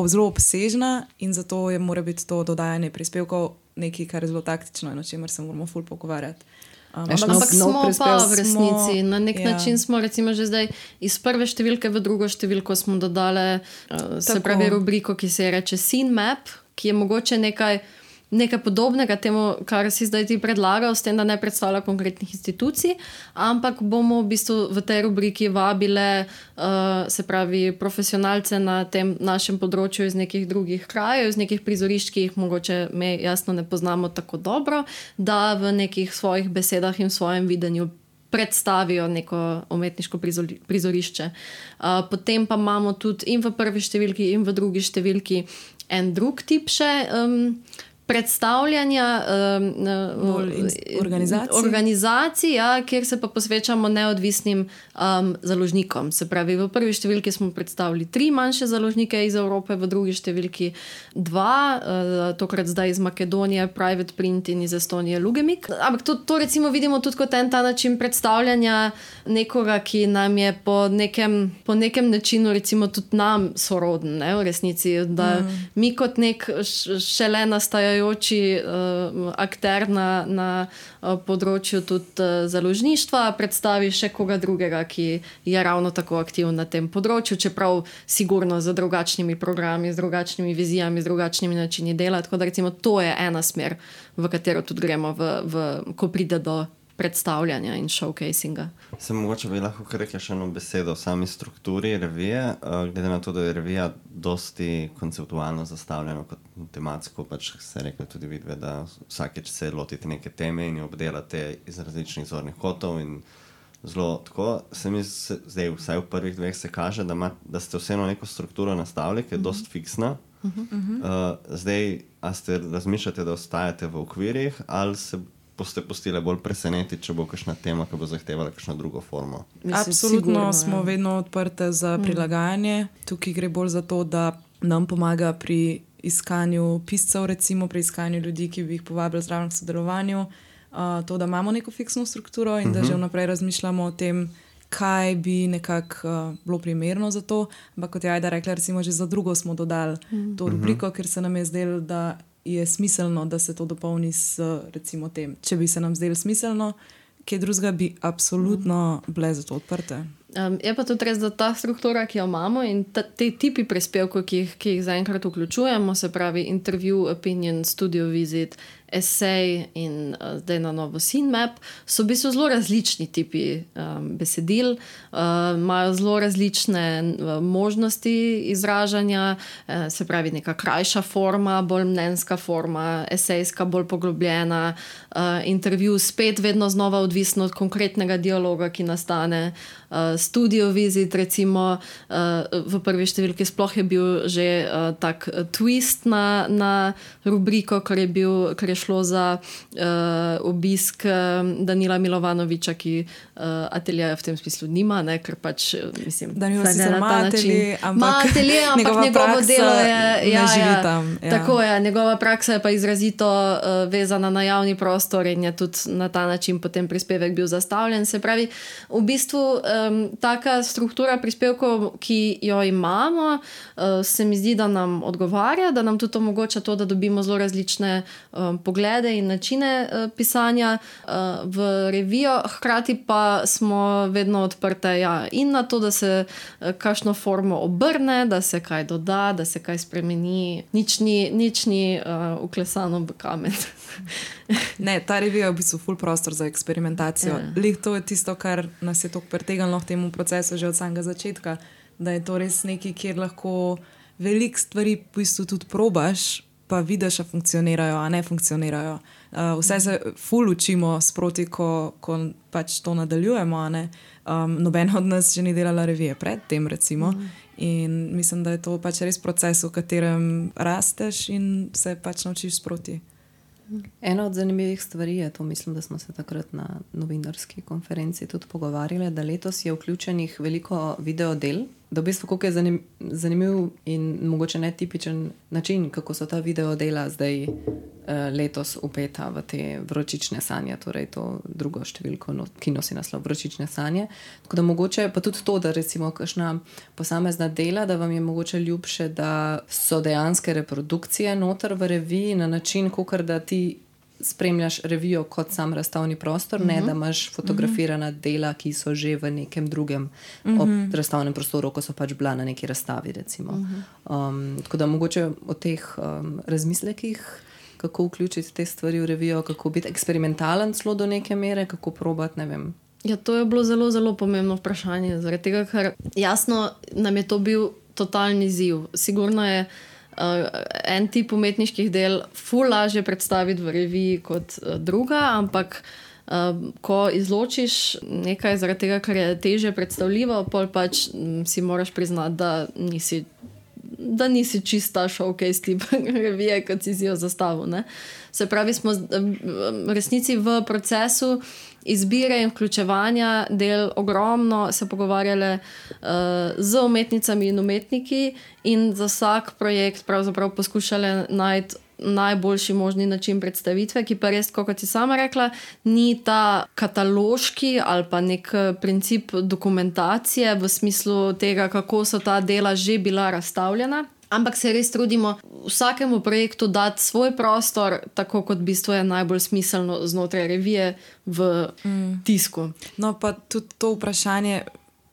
zelo obsežna in zato je mora biti to dodajanje prispevkov nekaj, kar je zelo taktično in o čemer se moramo ful pogovarjati. Um, ampak ampak smo pa v resnici, smo, na nek ja. način smo recimo že zdaj iz prve številke v drugo številko smo dodali uh, se pravi rubriko, ki se je reče Scene Map, ki je mogoče nekaj nekaj podobnega temu, kar si zdaj ti predlagal, s tem, da ne predstavlja konkretnih institucij, ampak bomo v bistvu v tej rubriki vabile uh, se pravi profesionalce na tem našem področju iz nekih drugih krajev, iz nekih prizorišč, ki jih mogoče me jasno ne poznamo tako dobro, da v nekih svojih besedah in v svojem videnju predstavijo neko umetniško prizorišče. Uh, potem pa imamo tudi in v prvi številki in v drugi številki en drug tip še um, predstavljanja um, organizacij, organizacij ja, kjer se pa posvečamo neodvisnim um, založnikom. Se pravi, v prvi številki smo predstavili tri manjše založnike iz Evrope, v drugi številki dva, uh, tokrat zdaj iz Makedonije, Private Print in iz Estonije Lugemik. Ampak to, to recimo vidimo tudi kot en ta način predstavljanja nekoga, ki nam je po nekem, po nekem načinu recimo tudi nam soroden, ne, v resnici, da mm. mi kot nek šele nastajajo Uh, akter na, na uh, področju tudi uh, založništva, predstavi še koga drugega, ki je ravno tako aktiv na tem področju, čeprav sigurno z drugačnimi programi, z drugačnimi vizijami, z drugačnimi načini dela. Tako da recimo to je ena smer, v katero tudi gremo, v, v, ko pride do predstavljanja in showcasinga. Se mogoče bi lahko rekla še eno besedo o sami strukturi revije, uh, glede na to, da je revija dosti konceptualno zastavljena kot tematsko, pač se rekla tudi vidve, da vsakeč se lotite neke teme in jo obdelate iz različnih zornih kotov in zelo tako. Se mi se, zdaj, vsaj v prvih dveh se kaže, da, ma, da ste vseeno neko strukturo nastavili, ki je uh-huh. dost fiksna. Uh-huh. Uh, zdaj, a ste razmišljate, da ostajate v okvirih, ali se boste pustili bolj presenetiti, če bo kakšna tema, ki bo zahtevala kakšno drugo formo? Mislim, absolutno sigurno, smo ja. vedno odprte za prilagajanje. Tukaj gre bolj za to, da nam pomaga pri iskanju piscev, recimo pri iskanju ljudi, ki bi jih povabili zraven k sodelovanju. Uh, to, da imamo neko fiksno strukturo in uh-huh. da že vnaprej razmišljamo o tem, kaj bi nekako uh, bilo primerno za to. Ampak kot je Ajda rekla, recimo že za drugo smo dodali uh-huh. to rubriko, ker se nam je zdelo, da je smiselno, da se to dopolni s recimo tem. Če bi se nam zdelo smiselno, kaj drugega bi absolutno bile za to odprte. Um, je pa tudi res, da ta struktura, ki jo imamo in ta, te tipi prispevkov, ki jih, ki jih zaenkrat vključujemo, se pravi intervju, opinion, studio visit, esej in uh, zdaj na novo scene map, so v bistvu zelo različni tipi um, besedil, uh, imajo zelo različne uh, možnosti izražanja, uh, se pravi neka krajša forma, bolj mnenjska forma, esejska, bolj poglobljena, uh, intervju spet vedno znova odvisno od konkretnega dialoga, ki nastane. Uh, studio visit, recimo uh, v prvi številki sploh je bil že uh, tak twist na, na rubriko, ker je, bil, ker je šlo za uh, obisk uh, Danila Milovanoviča, ki uh, ateljeja v tem smislu nima, ne, ker pač mislim, Danilo sicer ima atelje, ampak, ampak njegovo delo je ja, ne živi tam. Ja. Tako je, njegova praksa je pa izrazito uh, vezana na javni prostor in je tudi na ta način potem prispevek bil zastavljen. Se pravi, v bistvu um, taka struktura prispevkov, ki jo imamo, uh, se mi zdi, da nam odgovarja, da nam tudi omogoča to, da dobimo zelo različne um, poglede in načine uh, pisanja uh, v revijo. Hkrati pa smo vedno odprte ja, in na to, da se uh, kakšno formo obrne, da se kaj doda, da se kaj spremeni. Nič ni, nič ni uh, uklesano v kamen. Ne, ta revija je v bistvu ful prostor za eksperimentacijo. Yeah. Lih to je tisto, kar nas je toliko pretegnilo v temu procesu že od samega začetka, da je to res nekaj, kjer lahko veliko stvari v bistvu tudi probaš, pa vidiš, a funkcionirajo, a ne funkcionirajo. Uh, vse se ful učimo sproti, ko, ko pač to nadaljujemo, a ne. Um, noben od nas že ni delala revije pred tem, recimo. Mm. In mislim, da je to pač res proces, v katerem rasteš in se pač naučiš sproti. Ena od zanimivih stvari je to, mislim, da smo se takrat na novinarski konferenci tudi pogovarjali, da letos je vključenih veliko videodel, da v bistvu koliko je zanim, zanimiv in mogoče netipičen način, kako so ta videodela zdaj eh, letos upeta v te vročične sanje, torej to drugo številko, no, ki nosi naslov Vročične sanje. Tako da mogoče pa tudi to, da recimo kakšna posamezna dela, da vam je mogoče ljubše, da so dejanske reprodukcije noter v reviji na način, kakor da ti spremljaš revijo kot sam razstavni prostor, uh-huh. ne da imaš fotografirana dela, ki so že v nekem drugem uh-huh. ob razstavnem prostoru, ko so pač bila na neki razstavi, recimo. Uh-huh. Um, tako da mogoče o teh um, razmislekih, kako vključiti te stvari v revijo, kako biti eksperimentalen celo do neke mere, kako probati, ne vem. Ja, to je bilo zelo, zelo pomembno vprašanje, zaradi tega, ker jasno nam je to bil totalni izziv. Sigurno je Uh, en tip umetniških del ful lažje predstaviti v reviji kot uh, druga, ampak uh, ko izločiš nekaj zaradi tega, kar je težje predstavljivo, pol pač m, si moraš priznati, da nisi, da nisi čista showcase tip revije, kot si si jo zastavil. Ne? Se pravi, smo v resnici v procesu izbire in vključevanja del ogromno se pogovarjale uh, z umetnicami in umetniki in za vsak projekt pravzaprav poskušale najti najboljši možni način predstavitve, ki pa res, kot si sama rekla, ni ta kataloški ali pa nek princip dokumentacije v smislu tega, kako so ta dela že bila razstavljena. Ampak se res trudimo vsakemu projektu dati svoj prostor, tako kot v bistvu je najbolj smiselno znotraj revije v mm. tisku. No, pa tudi to vprašanje,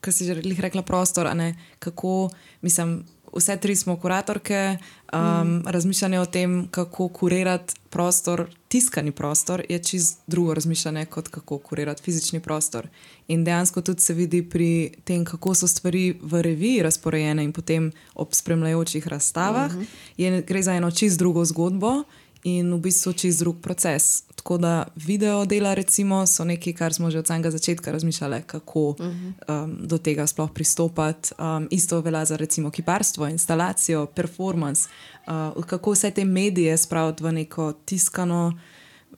ki si že rekla prostor, a ne, kako, mislim, vse tri smo kuratorke, um, mm. razmišljanje o tem, kako kurirati prostor, tiskani prostor, je čisto drugo razmišljanje, kot kako kurirati fizični prostor. In dejansko tudi se vidi pri tem, kako so stvari v reviji razporejene in potem ob spremljajočih razstavah, mm-hmm. je, gre za eno čisto drugo zgodbo in v bistvu čist drug proces. Tako da video dela recimo so nekaj, kar smo že od samega začetka razmišljali, kako um, do tega sploh pristopati. Um, isto velja za recimo kiparstvo, instalacijo, performance, uh, kako vse te medije spraviti v neko tiskano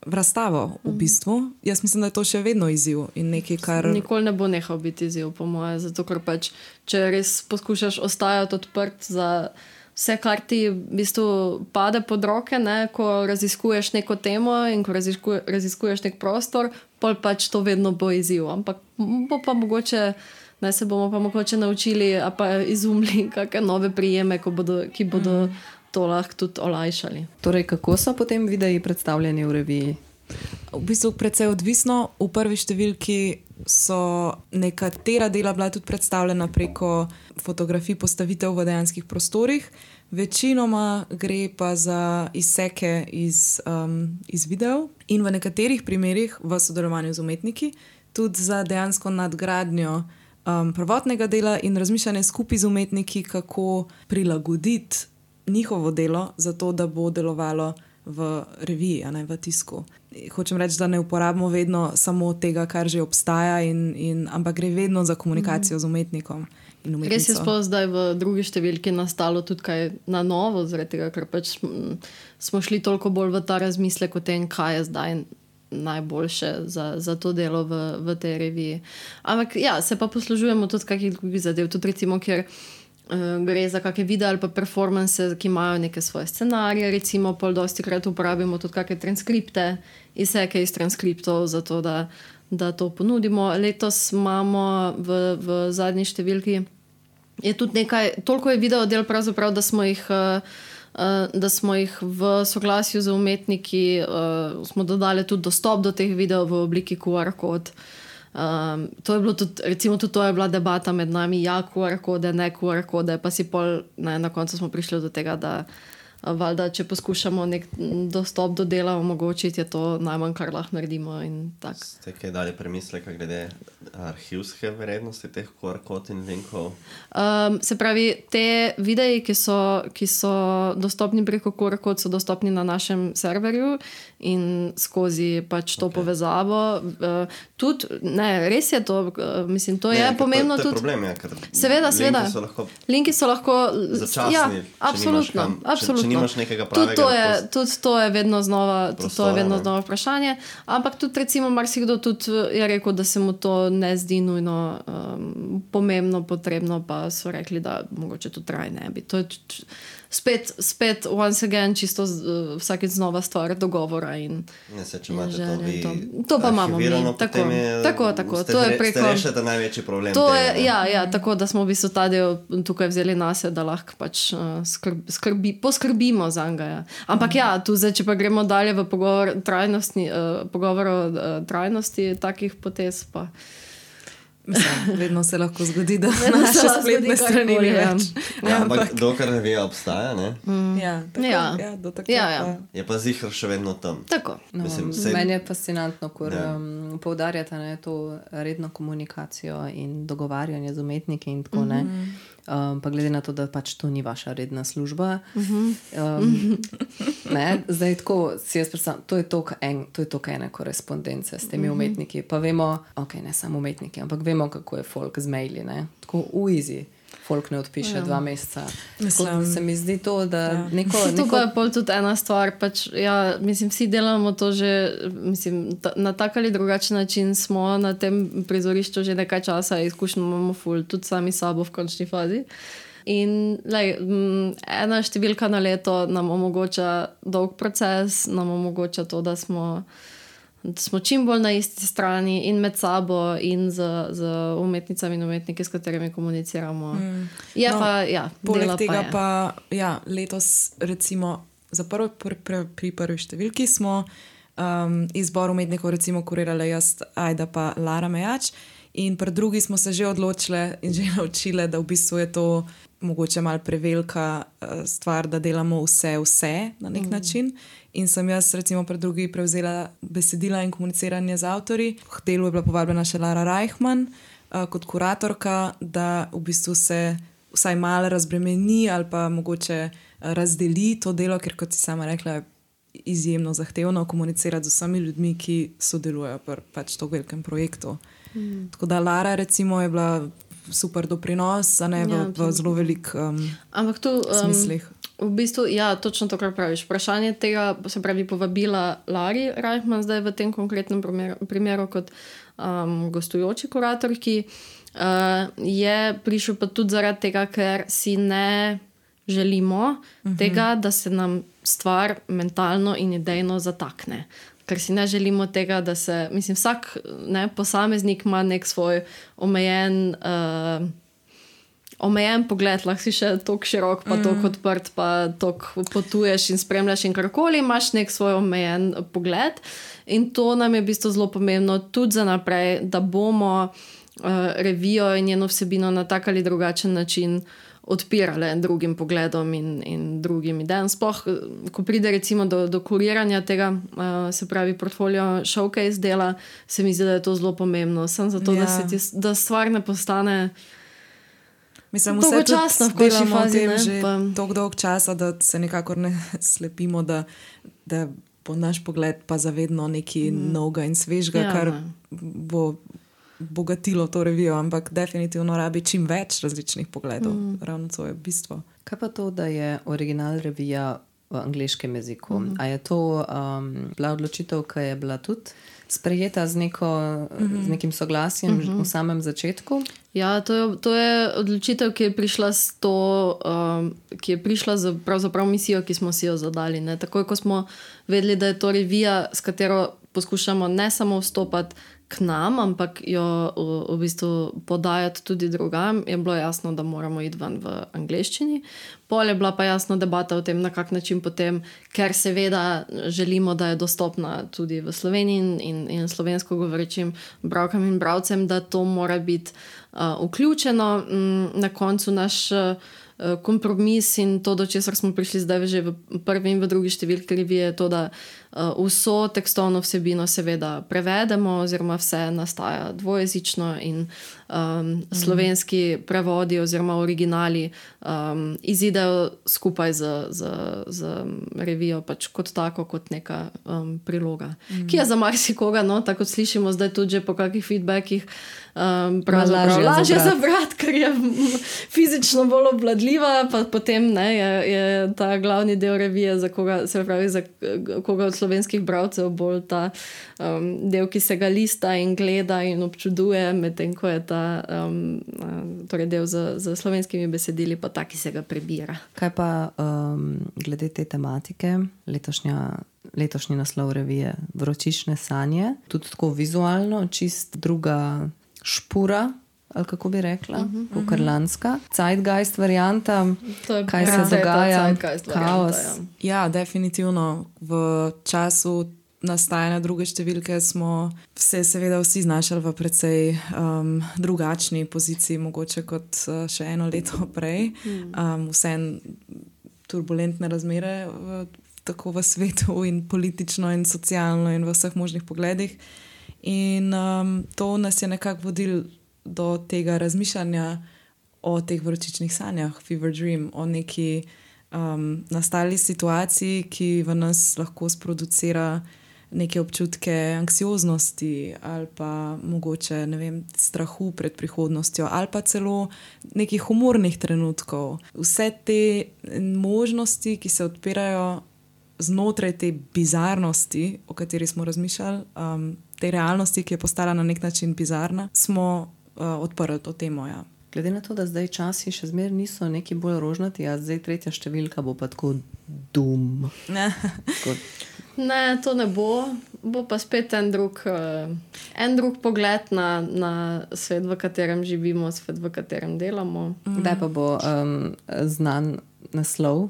razstavo v bistvu. Jaz mislim, da je to še vedno izziv in nekaj, kar... Nikoli ne bo nehal biti izziv, po moje, zato ker pač, če res poskušaš ostajati odprt za vse, kar ti v bistvu pade pod roke, ne, ko raziskuješ neko temo in ko raziskuje, raziskuješ nek prostor, pol pač to vedno bo izziv. Ampak bo pa mogoče, ne, se bomo pa mogoče naučili, a pa izumili kakšne nove prijeme, ko bodo, ki bodo mm. to lahko tudi olajšali. Torej, kako so potem videi predstavljeni v reviji? V bistvu precej odvisno. V prvi številki so nekatera dela bila tudi predstavljena preko fotografij postavitev v dejanskih prostorih. Večinoma gre pa za izseke iz, um, iz videov in v nekaterih primerih v sodelovanju z umetniki tudi za dejansko nadgradnjo um, prvotnega dela in razmišljanje skupaj z umetniki, kako prilagoditi njihovo delo zato, da bo delovalo v reviji, a ne v tisku. Hočem reči, da ne uporabimo vedno samo tega, kar že obstaja, in, in, ampak gre vedno za komunikacijo mm. z umetnikom in umetnico. Res je sploh zdaj v drugi številki nastalo tudi kaj na novo, zaradi tega, ker pač smo šli toliko bolj v ta razmislek o tem, kaj je zdaj najboljše za, za to delo v, v tej reviji. Ampak ja, se pa poslužujemo tudi kakih drugih zadev, tudi recimo, kjer gre za kakšne videe ali pa performance, ki imajo neke svoje scenarije, recimo pol dosti krat uporabimo tudi kakšne transkripte, izseke iz transkriptov, zato da, da to ponudimo. Letos imamo v, v zadnji številki je tudi nekaj, toliko je video del pravzaprav, da smo jih da smo jih v soglasju z umetniki smo dodali tudi dostop do teh videov v obliki Q R kod. Um, to je bilo tudi, recimo tudi to je bila debata med nami, ja, Q R kode, ne Q R kode, pa si pol, ne, na koncu smo prišli do tega, da valjda, če poskušamo nek dostop do dela omogočiti, je to najmanj, kar lahko naredimo in tak. Ste kaj dali premisleka glede arhivske vrednosti teh Q R kod in linkov? Um, se pravi, te videi, ki so, ki so dostopni preko Q R kod, so dostopni na našem serverju in skozi pač to okay. povezavo. Uh, tudi, ne, res je to, uh, mislim, to ne, je pomembno to, to je tudi. Problem, ja, ker seveda, seveda. So lahko linki so lahko začasni, ja, če absolutno, nimaš kam, absolutno. Če, če nimaš nekega pravega tudi to je, tudi to je vedno znova, prostora, to je vedno znova vprašanje, ampak tudi recimo marsikdo tudi je rekel, da se mu to ne zdi nujno um, pomembno, potrebno, pa so rekli, da mogoče to traj ne bi. To je tudi, spet, spet once again, čisto uh, vsakeč znova stvar dogovora in ne se, če imate to vi to, to pa imamo mi. Tako, je, tako, tako. Ste, To je preko, ste rešete največji problem. To tega, je, ja, ja, tako da smo v bistvu ta del tukaj vzeli nase, da lahko pač uh, skrbi, skrbi, poskrbimo za njega. Ja. Ampak mm. ja, tu zdaj, če pa gremo dalje v pogovor, trajnostni, uh, pogovor o uh, trajnosti takih potez, pa Mislim, vedno se lahko zgodi, da naše spletne strani ni več. Ja, ampak dokler revija obstaja, ne? Mm. Ja, tako, ja. ja, do takrat Ja, ja. pa. Je pa ziher še vedno tam. tako. No, Mislim, sej- meni je fascinantno, ko Ja. um, poudarjate ne, to redno komunikacijo in dogovarjanje z umetniki in tako ne. Um, pa glede na to, da pač to ni vaša redna služba. Um, ne, zdaj tako si jaz predstavljam, to je toliko en, to je toliko ene korespondence s temi umetniki. Pa vemo, ok, ne samo umetniki, ampak vemo, kako je folk z maili, ne. Tako v easy. Folk ne odpiše ja. dva meseca. Tako Mislim, se mi zdi to, da ja. neko... To neko pa je pol tudi ena stvar, pač, ja, mislim, vsi delamo to že, mislim, ta, na tak ali drugačen način smo na tem prizorišču že nekaj časa, izkušnjo imamo ful, tudi sami sabo v končni fazi. In lej, m, ena številka na leto nam omogoča dolg proces, nam omogoča to, da smo, da smo čim bolj na isti strani in med sabo in z, z umetnicami in umetniki, s katerimi komuniciramo. Mm. Je No, pa, ja, Poleg dela tega pa, je. pa, ja, letos recimo za prvo, pr, pr, pri prvi številki smo um, izbor umetnikov recimo kurirali jaz, Ajda pa Lara Mejač, in pri drugi smo se že odločile in že naučile, da v bistvu je to mogoče malo prevelika uh, stvar, da delamo vse, vse na nek mm. način. In sem jaz recimo pri drugi prevzela besedila in komuniciranje z avtorji. K delu je bila povabljena še Lara Reichmann uh, kot kuratorka, da v bistvu se vsaj malo razbremeni ali pa mogoče razdeli to delo, ker kot si sama rekla, izjemno zahtevno komunicirati z vsemi ljudmi, ki sodelujejo pri pač to velikem projektu. Mm. Tako da Lara recimo je bila super doprinos, a ne v, ja, v zelo velik um, Ampak tu, um, smislih. V bistvu, ja, točno to, kar praviš. Vprašanje tega, se pravi, povabila Lari Reichman zdaj v tem konkretnem primeru, primeru kot um, gostujoči kuratorki, uh, je prišel pa tudi zaradi tega, ker si ne želimo uh-huh. tega, da se nam stvar mentalno in idejno zatakne. Ker si ne želimo tega, da se, mislim, vsak ne, posameznik ima nek svoj omejen uh, omejen pogled, lahko si še toliko širok, pa toliko mm. odprt, pa toliko potuješ in spremljaš in karkoli, imaš nek svoj omejen pogled in to nam je v bistvu zelo pomembno tudi za naprej, da bomo uh, revijo in njeno vsebino na tak ali drugačen način odpirale drugim pogledom in, in drugim idejam. Sploh, ko pride recimo do, do kuriranja tega, uh, se pravi portfolio showcase dela, se mi zdi, da je to zelo pomembno. Sem zato, ja. da, se ti, da stvar ne postane Mislim, vse časno delamo v tem že toliko dolg časa, da se nekako ne slepimo, da, da bo naš pogled pa zavedno nekaj mm. novega in svežega, ja, kar bo bogatilo to revijo, ampak definitivno rabi čim več različnih pogledov. Mm. Ravno to je bistvo. Kaj pa to, da je original revija v angleškem jeziku? Mm. A je to um, bila odločitev, ki je bila tudi sprejeta z, neko, mm-hmm. z nekim soglasjem mm-hmm. v samem začetku? Ja, to je, to je odločitev, ki je prišla s to, um, ki je prišla z pravzaprav misijo, ki smo si jo zadali. Ne? Takoj, ko smo vedeli, da je to revija, s katero poskušamo ne samo vstopati k nam, ampak jo v, v bistvu podajati tudi drugam, je bilo jasno, da moramo iti ven v angleščini. Pol je bila pa jasna debata o tem, na kak način potem, ker seveda želimo, da je dostopna tudi v Sloveniji in, in, in slovensko govorečim bralkam in bralcem, da to mora biti uh, vključeno. Mm, na koncu naš uh, kompromis in to, do česar smo prišli zdaj že v prvi in v drugi številki revije, je to, da uh, vso tekstovno vsebino seveda prevedemo, oziroma vse nastaja dvojezično in um, slovenski prevodi oziroma originali um, izidejo skupaj z, z, z revijo pač kot tako, kot neka um, priloga. Mm. Ki je za marsikoga, no, tako slišimo zdaj tudi že po kakih feedbackih, um, pravzaprav lažje za brat, ker je fizično bolj obvladljiva, pa potem ne, je, je ta glavni del revije, za koga, se pravi, za koga od slovenskih bralcev bolj ta um, del, ki se ga lista in gleda in občuduje, medtem ko je ta um, torej del z, z slovenskimi besedili pa ta, ki se ga prebira. Kaj pa um, glede te tematike, letošnja, letošnji naslov revije Vročične sanje, tudi tako vizualno, čist druga špura, ali kako bi rekla, uh-huh, ukrlanska. Zeitgeist varianta, kaj se dogaja, kaos. Ja, definitivno. V času nastajanja druge številke smo se seveda vsi znašali v precej um, drugačni poziciji, mogoče kot uh, še eno leto prej. Um, vse turbulentne razmere v, tako v svetu in politično in socialno in v vseh možnih pogledih. In um, to nas je nekako vodil do tega razmišljanja o teh vročičnih sanjah, fever dream, o neki um, nastali situaciji, ki v nas lahko sproducira neke občutke anksioznosti ali pa mogoče, ne vem, strahu pred prihodnostjo ali pa celo nekih humornih trenutkov. Vse te možnosti, ki se odpirajo znotraj te bizarnosti, o kateri smo razmišljali, um, te realnosti, ki je postala na nek način bizarna, smo Uh, odprli to temo, ja. Glede na to, da zdaj časi še zmer niso neki bolj rožnati, a zdaj tretja številka bo pa tako dum. Ne, ne to ne bo. Bo pa spet en drug, uh, en drug pogled na, na svet, v katerem živimo, svet, v katerem delamo. Mm. Kdaj pa bo um, znan naslov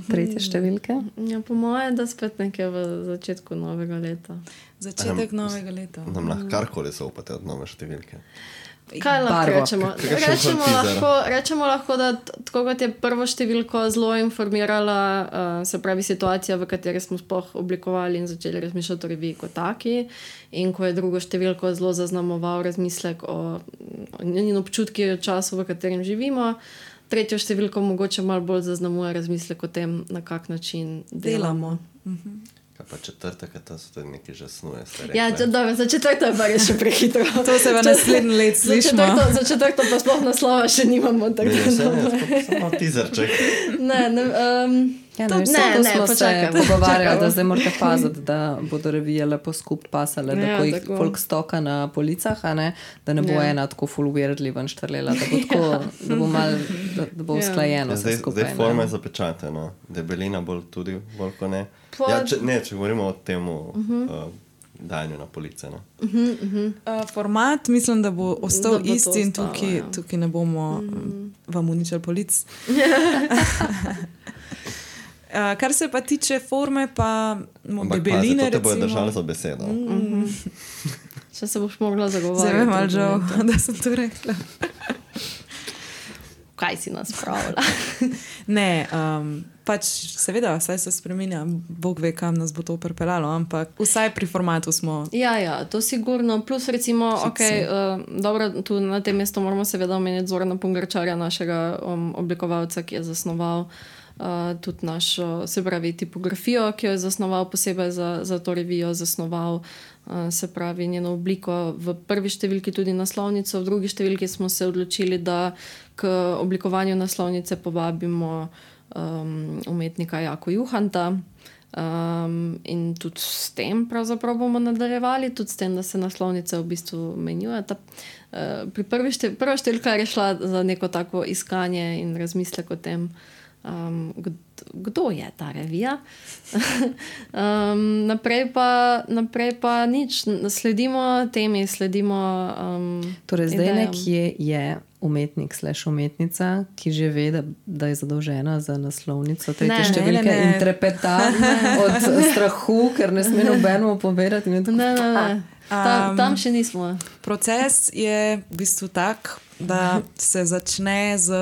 tretje številke? Ja, po moje, da spet nekje v začetku novega leta. Začetek nam, novega leta. Nam lahko karkoli zaupate od nove številke. Kaj lahko rečemo? Rečemo lahko, rečemo lahko, da tako kot je prvo številko zelo informirala, uh, se pravi situacija, v kateri smo sploh oblikovali in začeli razmišljati o reviji kot taki, in ko je drugo številko zelo zaznamoval razmislek o in občutki o času, v katerem živimo, tretjo številko mogoče malo bolj zaznamuje razmislek o tem, na kak način delamo. delamo. Mhm. Kaj pa četrtek, to so tudi neki že snuje. Ja, če, dobro, za četrto je pa res še prehitro. To se v naslednji let slišimo. Za četrto, za četrto pa sploh naslova še nimamo. Ne, vse ne, samo tizerček. Ne, ne, um, Ja, to, ne, ne, to ne, smo počakaj, se pogovarjali, počakaj. da zdaj morate paziti, da bodo revije lepo skup pasale, da Ja, ko jih tako. folk stoka na policah, a ne, da ne bo Ja. ena tako full weirdly ven štrlela, da bo tako, da bo mal, da, da bo Ja. usklajeno Ja, vse zdaj, skupaj. zdaj forma je zapečatena, debelina bolj tudi, bolj ko ne. Pa- Ja, če, ne, če govorimo o tem uh, dajanju na police. No. Uh, format mislim, da bo ostal Da bo to isti in ostalo, tukaj, ja. tukaj ne bomo mm. vam uničili polic. Uh, kar se pa tiče forme, pa mo- Ampak debeline, pazi, to te bojo recimo. držali za besedo. Mm. Če se boš mogla zagovarjati. Zdaj me malo žal, da sem to rekla. Kaj si nas pravila? Ne, um, pač seveda, vse se spremenja, Bog ve, kam nas bo to pripeljalo, ampak vsaj pri formatu smo. Ja, ja, to sigurno. Plus, recimo, okay, uh, dobro, tu na tem mestu moramo seveda omeniti Zorana Pungarčarja, našega um, oblikovalca, ki je zasnoval uh, tudi našo, se pravi, tipografijo, ki jo je zasnoval posebej za, za to revijo, zasnoval uh, se pravi njeno obliko v prvi številki tudi naslovnico, v drugi številki smo se odločili, da k oblikovanju naslovnice povabimo um, umetnika Jako Juhanta. Um, in tudi s tem pravzaprav bomo nadaljevali, tudi s tem, da se naslovnice v bistvu menjujeta. Uh, pri prvi štev, prva številka je šla za neko tako iskanje in razmislek o tem, um, kdo, kdo je ta revija. um, naprej, pa, naprej pa nič, sledimo temi, sledimo. Um, Torej, zdaj idejam. nekje je umetnik slash umetnica, ki že ve, da, da je zadolžena za naslovnico tretje Ne, ne, številke ne, ne. in trepeta od strahu, ker ne sme nobenemu povedati. in je tako, Ne, ne, ne. Ta, Um, tam še nismo. Proces je v bistvu tak, da se začne z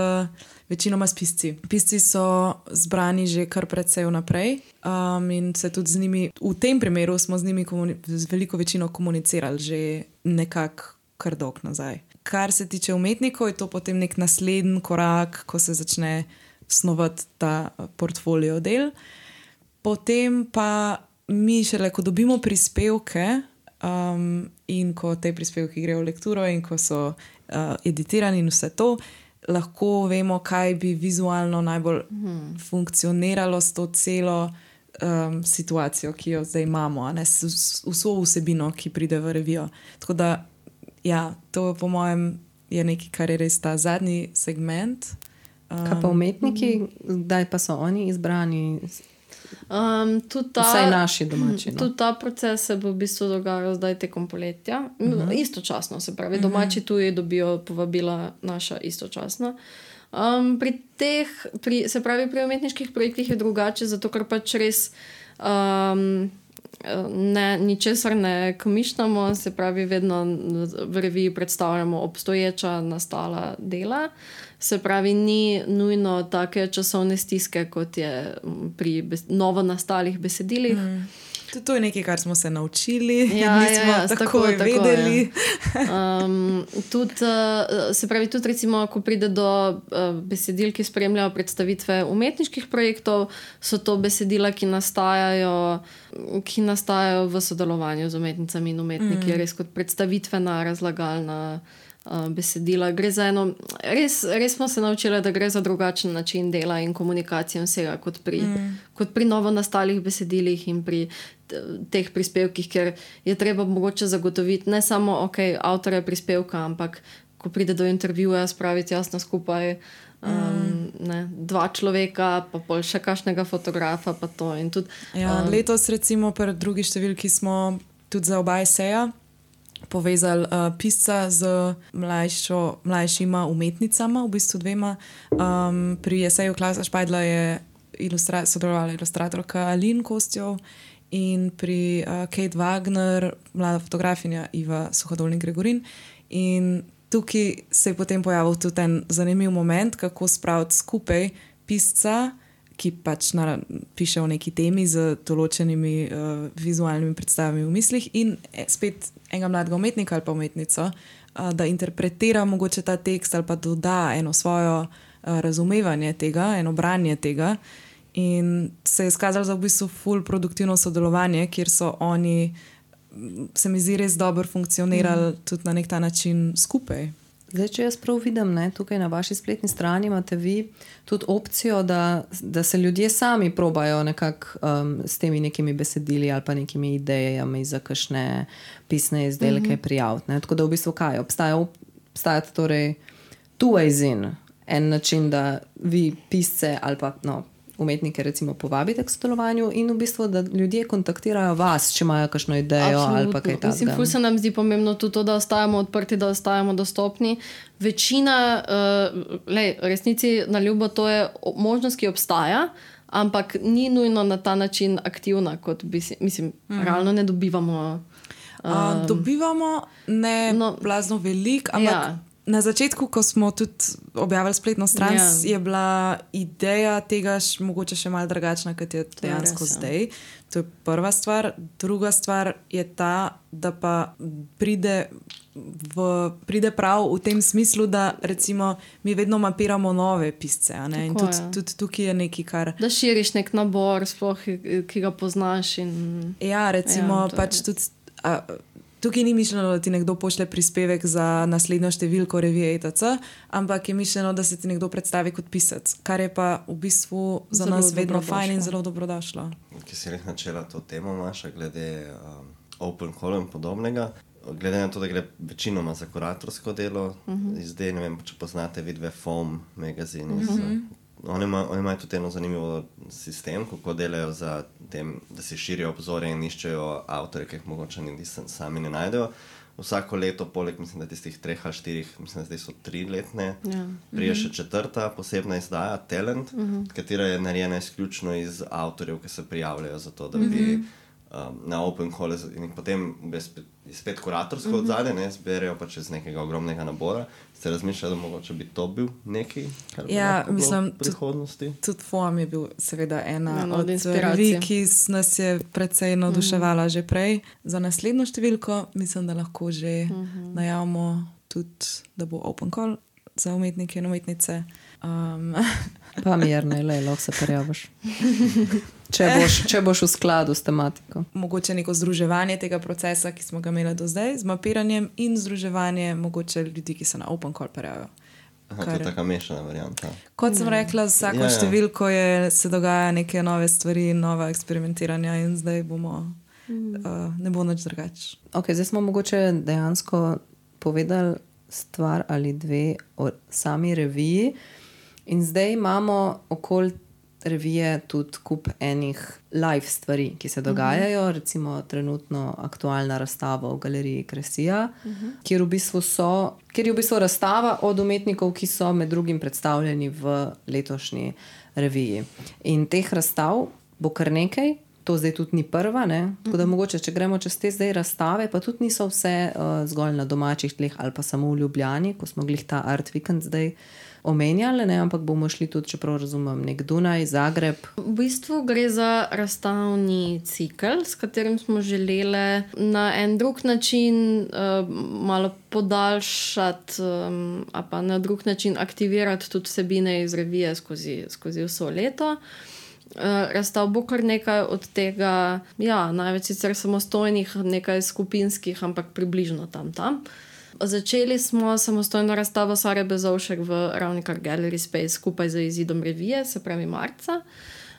večinoma s pisci. Pisci so zbrani že kar precej vnaprej um, in se tudi z njimi, v tem primeru smo z njimi komuni- z veliko večino komunicirali že nekako kar dolg nazaj. Kar se tiče umetnikov, je to potem nek naslednji korak, ko se začne snovati ta portfolio del. Potem pa mi šele, ko dobimo prispevke um, in ko te prispevki grejo v lekturo in ko so uh, editirani in vse to, lahko vemo, kaj bi vizualno najbolj hmm. funkcioniralo s to celo um, situacijo, ki jo zdaj imamo, a ne s, s, vso vsebino, ki pride v revijo. Tako da, ja, to po mojem je nekaj, kar je res ta zadnji segment. Um, Kaj pa umetniki, kdaj pa so oni izbrani, Um, tudi ta, vsaj naši domači? No? Tudi ta proces se bo v bistvu dogajal zdaj tekom poletja. Uh -huh. Istočasno, se pravi, domači tuji dobijo povabila naša istočasno. Um, pri teh, pri, se pravi, pri umetniških projektih je drugače, zato ker pač res um, ne, ničesar ne komišljamo, se pravi, vedno v reviji predstavljamo obstoječa nastala dela. Se pravi, ni nujno take časovne stiske, kot je pri bes novo nastalih besedilih. Mm. Tudi to je nekaj, kar smo se naučili, Ja, nismo ja, ja, tako tako, tako, vedeli. Um, tudi, uh, se pravi, tudi recimo, ko pride do uh, besedil, ki spremljajo predstavitve umetniških projektov, so to besedila, ki nastajajo, ki nastajajo v sodelovanju z umetnicami in umetniki, mm. res kot predstavitvena, razlagalna uh, besedila. Gre za eno, res, res smo se naučili, da gre za drugačen način dela in komunikacije vsega kot pri, mm. kot pri novo nastalih besedilih in pri teh prispevkih, ker je treba mogoče zagotoviti ne samo okay, avtorja prispevka, ampak ko pride do intervjuja, spraviti jasno skupaj um, mm. ne, dva človeka, pa pol še kakšnega fotografa. Pa to, in tudi, Ja, um, letos, recimo, pri drugi številki smo tudi za oba eseja povezali uh, pisca z mlajšo, mlajšima umetnicama, v bistvu dvema. Um, pri eseju Klausa Špajdla je ilustra sodelovala ilustratorka Aline Kostjov in pri uh, Kate Wagner, mlada fotografinja Iva Suhodolnik-Gregorin. In tukaj se je potem pojavil tudi en zanimiv moment, kako spraviti skupaj pisca, ki pač na, piše o neki temi z določenimi uh, vizualnimi predstavami v mislih in spet enega mladega umetnika ali pa umetnico, uh, da interpretira mogoče ta tekst ali pa doda eno svojo uh, razumevanje tega, eno branje tega. In se je izkazalo za v bistvu ful produktivno sodelovanje, kjer so oni, se mi zdi, res dobro funkcionirali mm. tudi na nek ta način skupaj. Zdaj, če jaz prav vidim, ne, tukaj na vaši spletni strani imate vi tudi opcijo, da, da se ljudje sami probajo nekako um, s temi nekimi besedili ali pa nekimi idejami za kakšne pisne izdelke mm-hmm. prijaviti. Ne. Tako da v bistvu kaj? Obstaja, obstaja torej two ways in. En način, da vi pisce ali pa no, umetnike recimo povabite k sodelovanju in v bistvu, da ljudje kontaktirajo vas, če imajo kakšno idejo Absolutno. Ali pa kaj takega. Mislim, ful se nam zdi pomembno tudi to, da ostajamo odprti, da ostajamo dostopni. Večina, uh, lej, resnici na ljubo, to je možnost, ki obstaja, ampak ni nujno na ta način aktivna, kot bi si, mislim, mm. realno ne dobivamo. Um, uh, dobivamo ne no, blazno veliko, ampak ja. Na začetku, ko smo tudi objavili spletno stran, ja. Je bila ideja tega š, mogoče še malo drugačna, kot je dejansko res, zdaj. Ja. To je prva stvar. Druga stvar je ta, da pa pride, v, pride prav v tem smislu, da recimo mi vedno mapiramo nove pisce. A ne? In tudi, tudi tukaj je nekaj, kar... Da širiš nek nabor, sploh, ki ga poznaš. In... Ja, recimo ja, pač tudi... A, tukaj ni mišljeno, da ti nekdo pošle prispevek za naslednjo številko revije E T C, ampak je mišljeno, da se ti nekdo predstavi kot pisec, kar je pa v bistvu za zelo nas vedno fajn in zelo dobrodošlo. Ki si res načela to temo, Maša, glede um, open call in podobnega, glede na to, da gre večinoma za kuratorsko delo, uh-huh. zdaj ne vem, če poznate vidve F O M magazini, uh-huh. Oni imajo ima tudi eno zanimivo sistem, kako delajo za tem, da si širijo obzorje in iščejo avtore, ki jih mogoče niti sami ne najdejo. Vsako leto, poleg mislim, da tistih treh ali štirih, mislim, da zdaj so tri letne, ja. Prije še četrta posebna izdaja, Talent, uh-huh. katera je narejena izključno iz avtorjev, ki se prijavljajo za to, da bi uh-huh. um, na open call in potem spet, spet kuratorsko uh-huh. odzadje, ne, zberejo pa čez nekega ogromnega nabora. Ste razmišljali, da mogoče bi to bil neki, kar bi ja, lahko mislim, bilo v prihodnosti? Tudi F O M je bil seveda ena no, od revij, ki nas je precej navduševala uh-huh. že prej. Za naslednjo številko mislim, da lahko že uh-huh. najavimo tudi, da bo open call za umetnike in umetnice. Um. Pa mirno, le, lahko se prijaviš. Če boš, če boš v skladu s tematiko. Mogoče neko združevanje tega procesa, ki smo ga imeli do zdaj, z mapiranjem in združevanje mogoče ljudi, ki se na open call prijavijo. Aha, to je taka mešana varianta. Kot sem rekla, z vsako ja, ja. številko je, se dogaja neke nove stvari, nova eksperimentiranja in zdaj bomo, mm. uh, ne bo nič drugače. Ok, zdaj smo mogoče dejansko povedali stvar ali dve o sami reviji in zdaj imamo okoli revije tudi kup enih live stvari, ki se dogajajo, uh-huh. recimo trenutno aktualna razstava v galeriji Kresija, uh-huh. kjer, v bistvu so, kjer je v bistvu razstava od umetnikov, ki so med drugim predstavljeni v letošnji reviji. In teh razstav bo kar nekaj, to zdaj tudi ni prva, ne? Tako da mogoče, če gremo čez te zdaj razstave, pa tudi niso vse uh, zgolj na domačih tleh ali pa samo v Ljubljani, ko smo glih ta Art Weekend zdaj omenjali, ne? Ampak bomo šli tudi, čeprav razumem, nek Dunaj, Zagreb. V bistvu gre za razstavni cikel, s katerim smo želeli na en drug način uh, malo podaljšati, um, a pa na drug način aktivirati tudi vsebine iz revije skozi, skozi vso leto. Uh, razstav bo kar nekaj od tega, ja, največ sicer samostojnih, nekaj skupinskih, ampak približno tam tam. Začeli smo samostojno razstavo Sare Bezovšek v Ravnikar Gallery Space skupaj z izidom revije, se pravi marca.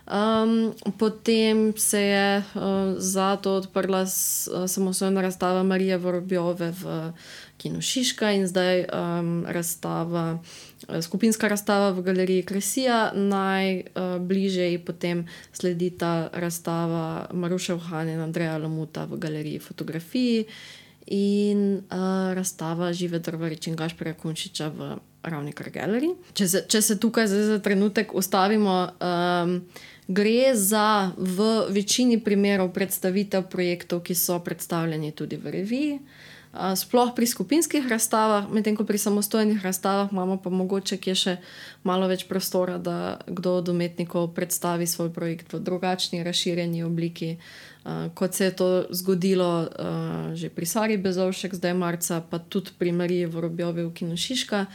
Um, potem se je uh, zato odprla s, uh, samostojna razstava Marije Vorobjove v Kinu Šiška in zdaj um, razstava skupinska razstava v galeriji Kresija, najbližje uh, potem sledi ta razstava Maruše Uhan in Andreja Lamuta v galeriji Fotografiji in uh, razstava Žive Drvarič in Gašperja Kunčiča v Ravnikar Gallery. Če se, če se tukaj zdaj za trenutek ustavimo, um, gre za v večini primerov predstavitev projektov, ki so predstavljeni tudi v reviji. Sploh pri skupinskih razstavah, medtem ko pri samostojnih razstavah imamo pa mogoče kje še malo več prostora, da kdo od umetnikov predstavi svoj projekt v drugačni, razširjeni obliki. uh, kot se je to zgodilo uh, že pri Sari Bezovšek, zdaj marca, pa tudi pri Mariji Vorobjovi v Kinu Šiška.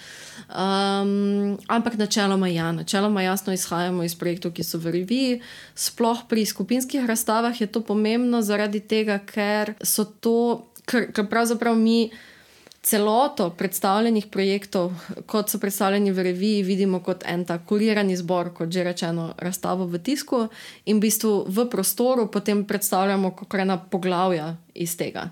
Um, ampak načeloma ja, načeloma jasno izhajamo iz projektov, ki so v reviji. Sploh pri skupinskih razstavah je to pomembno zaradi tega, ker so to, ker, ker pravzaprav mi celoto predstavljenih projektov, kot so predstavljeni v reviji, vidimo kot en tak kurirani zbor, kot že rečeno, razstavo v tisku in v bistvu v prostoru potem predstavljamo kot ena poglavja iz tega.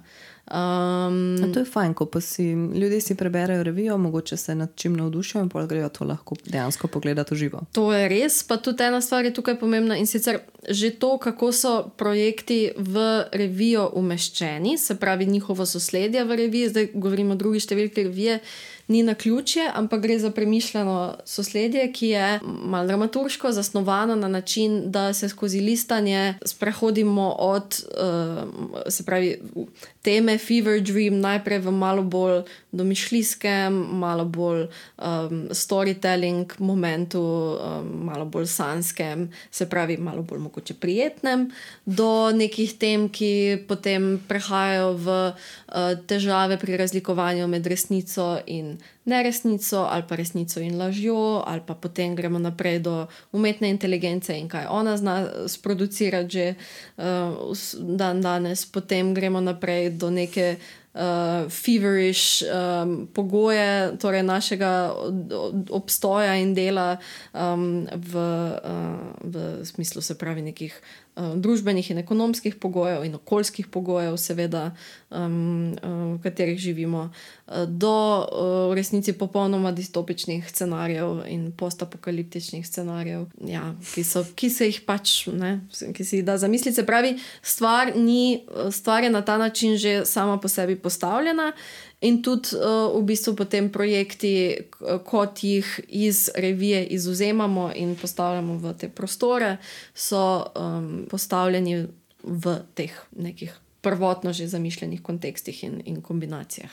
Um, to je fajn, ko pa si ljudje si preberejo revijo, mogoče se nad čim navdušijo in pol grejo to lahko dejansko pogledati v živo. To je res, pa tudi ena stvar je tukaj pomembna in sicer že to, kako so projekti v revijo umeščeni, se pravi njihovo sosledje v reviji, zdaj govorimo o drugi številki revije, ni naključje, ampak gre za premišljeno sosledje, ki je malo dramaturško zasnovano na način, da se skozi listanje sprehodimo od uh, se pravi teme Fever Dream najprej v malo bolj domišljijskem, malo bolj um, storytelling momentu, um, malo bolj sanskem, se pravi malo bolj mogoče prijetnem, do nekih tem, ki potem prehajajo v uh, težave pri razlikovanju med resnico in neresnico ali pa resnico in lažjo, ali pa potem gremo naprej do umetne inteligence in kaj ona zna sproducirati že uh, dan danes, potem gremo naprej do neke uh, feverish um, pogoje, torej našega obstoja in dela um, v, uh, v smislu se pravi nekih družbenih in ekonomskih pogojev in okoljskih pogojev, seveda, um, v katerih živimo, do v resnici popolnoma distopičnih scenarijev in postapokaliptičnih scenarijev, ja, ki, so, ki se jih pač, ne, ki se jih da zamisliti. Se pravi, stvar, ni, stvar je na ta način že sama po sebi postavljena. In tudi uh, v bistvu potem projekti, kot jih iz revije izvzemamo in postavljamo v te prostore, so um, postavljeni v teh nekih prvotno že zamišljenih kontekstih in, in kombinacijah.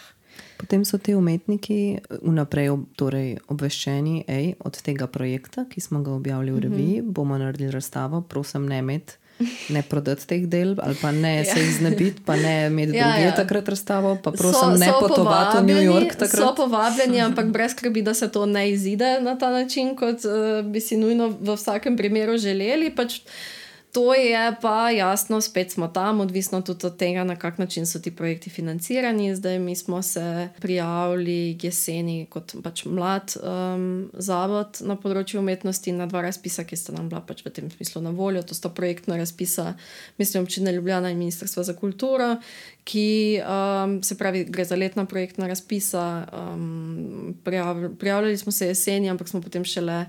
Potem so ti umetniki vnaprej torej obveščeni, ej, od tega projekta, ki smo ga objavili v reviji, mm-hmm. bomo naredili razstavo, prosim ne imeti, ne prodati teh del, ali pa ne ja. se jih znebiti, pa ne imeti ja, druge ja. takrat razstavo, pa prosim so, ne so potovati v New York takrat. So povabljeni, ampak brez skrbi, da se to ne izide na ta način, kot uh, bi si nujno v vsakem primeru želeli. Pač to je pa jasno, spet smo tam, odvisno tudi od tega, na kak način so ti projekti financirani. Zdaj mi smo se prijavili jeseni kot pač mlad um, zavod na področju umetnosti na dva razpisa, ki sta nam bila pač v tem smislu na voljo. To sta projektna razpisa, mislim, Občine Ljubljana in Ministrstva za kulturo, ki um, se pravi, gre za letna projektna razpisa. Um, prijav, prijavljali smo se jeseni, ampak smo potem šele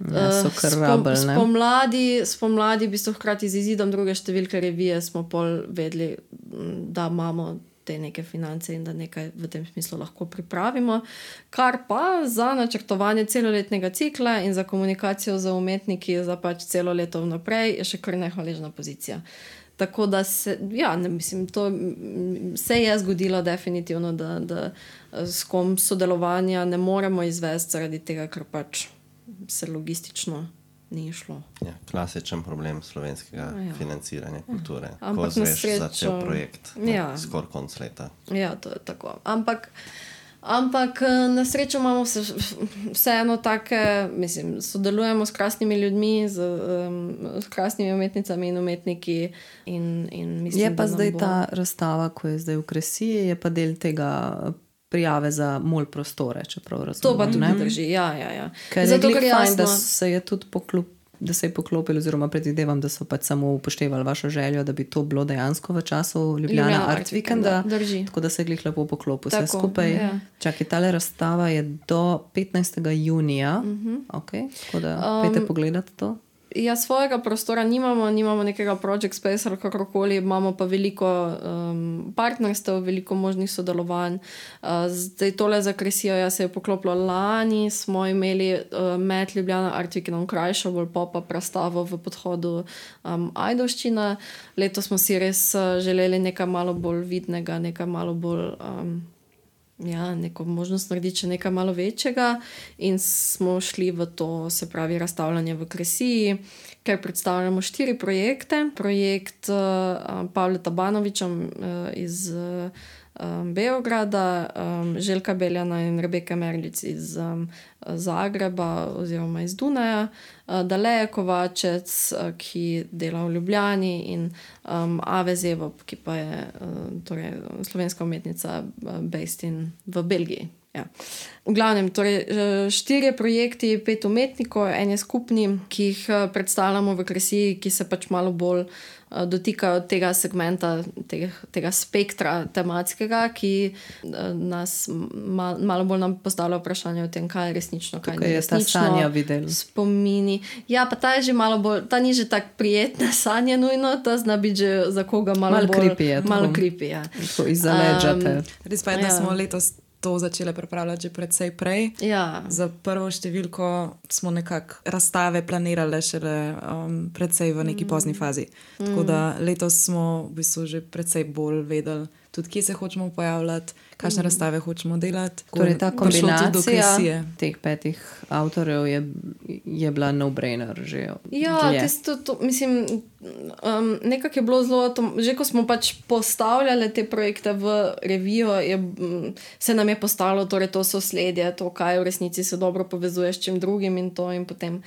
Ja, so kar rabel, ne? Spomladi, spomladi v bistvu hkrati z izidom druge številke revije smo pol vedeli, da imamo te neke finance in da nekaj v tem smislu lahko pripravimo, kar pa za načrtovanje celoletnega cikla in za komunikacijo z umetniki za pač celo leto vnaprej je še kar nehvaležna pozicija. Tako da se, ja, ne, mislim, to se je zgodilo definitivno, da, da s kom sodelovanja ne moremo izvesti zaradi tega, ker pač se logistično ni šlo. Ja, klasičen problem slovenskega ja. financiranja kulture. Ja. Ko zveš srečo... za cel projekt, ja. skor konc leta. Ja, to je tako. Ampak, ampak na srečo imamo vse, vseeno take, mislim, sodelujemo s krasnimi ljudmi, z, um, s krasnimi umetnicami in umetniki. In, in mislim, je pa zdaj bo... ta razstava, ko je zdaj v Kresiji, je pa del tega prijave za mol prostore, čeprav razumem. To pa tudi ne drži, ja, ja, ja. Ker je glik fajn, da se je tudi poklop, da se je poklopil, oziroma predvidevam, da so pač samo upoštevali vašo željo, da bi to bilo dejansko v času Ljubljana, Ljubljana Art Weekenda, tako da se je glih lepo poklopil vse skupaj. Ja. Čakaj, tale razstava je do petnajstega junija, uh-huh. ok, tako da um, pejte pogledati to. Ja, svojega prostora nimamo, nimamo nekega project space ali kakorkoli, imamo pa veliko um, partnerstev, veliko možnih sodelovanj. Uh, zdaj tole za Kresijo ja, se je poklopilo lani, smo imeli uh, med Ljubljana Art Weekendom krajšo, bolj pop-up razstavo v podhodu um, Ajdovščina. Leto smo si res uh, želeli nekaj malo bolj vidnega, nekaj malo bolj... Um, ja, neko možnost narediti še nekaj malo večjega in smo šli v to, se pravi, razstavljanje v Kresiji, ker predstavljamo štiri projekte. Projekt uh, Pavla Tabanoviča uh, iz uh, Beograda, um, Željka Beljana in Rebeke Merlic iz um, Zagreba oziroma iz Dunaja, uh, Daleja Kovačec, uh, ki dela v Ljubljani in um, Ave Zevop, ki pa je uh, torej, slovenska umetnica uh, based in v Belgiji. Ja. V glavnem, torej štirje projekti, pet umetnikov, en je skupni, ki jih predstavljamo v Kresiji, ki se pač malo bolj uh, dotikajo tega segmenta, tega, tega spektra tematskega, ki uh, nas mal, malo bolj nam postavlja vprašanje o tem, kaj je resnično, kaj Tukaj ni resnično. Je ta sanja videl. Spomini. Ja, pa ta je že malo bolj, ta ni že tak prijetna sanja nujno, ta zna biti že za koga malo, Malo bolj creepy je, malo tako. creepy, ja. Tako izza leđate. Res pa je, da Ja. smo letos to začele pripravljati že predvsej prej. Ja. Za prvo številko smo nekako razstave planirale šele um, predvsej v neki pozni fazi. Mm. Tako da letos smo v bistvu že predvsej bolj vedeli, tudi kje se hočemo pojavljati, kakšne mm. razstave hočemo delati. Torej ta Prišlo tudi do kombinacija Kresije. teh petih avtorjev je, je bila no-brainer že. Ja, dlje. tisto, to, mislim, um, nekako je bilo zelo, to, že ko smo pač postavljali te projekte v revijo, je, um, se nam je postalo torej to sosledje, to, kaj v resnici se dobro povezuje s čim drugim in to in potem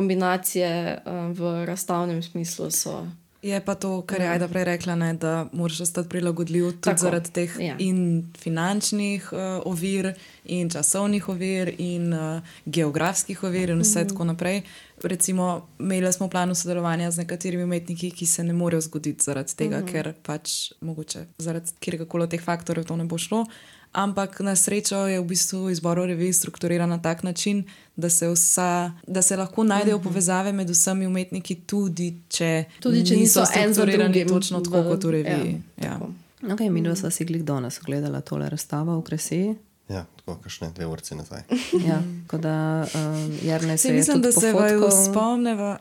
kombinacije um, v razstavnem smislu so. Je pa to, kar je Ajda prej rekla, ne, da moraš ostati prilagodljiv tudi Tako, zaradi teh ja. in finančnih uh, ovir in časovnih ovir in uh, geografskih ovir in vse mm. tako naprej. Recimo, imeli smo v planu sodelovanja z nekaterimi umetniki, ki se ne morejo zgoditi zaradi tega, mm. ker pač mogoče zaradi kjerkoli od teh faktorjev to ne bo šlo. Ampak na srečo je v bistvu izbor revij strukturiran na tak način, da se, vsa, da se lahko najdejo povezave med vsemi umetniki, tudi če, Tudi, če niso en za strukturirani drugim točno tako v- kot v reviji. ja, Ja, tako. Okay, mi dva sva si glih danes ogledala tole razstavo v Kresiji. Ja, tako kakšne dve urci nazaj. Ja, tako da um, Jernej se Se je mislim, tudi da se vaju pofotkal. spomneva.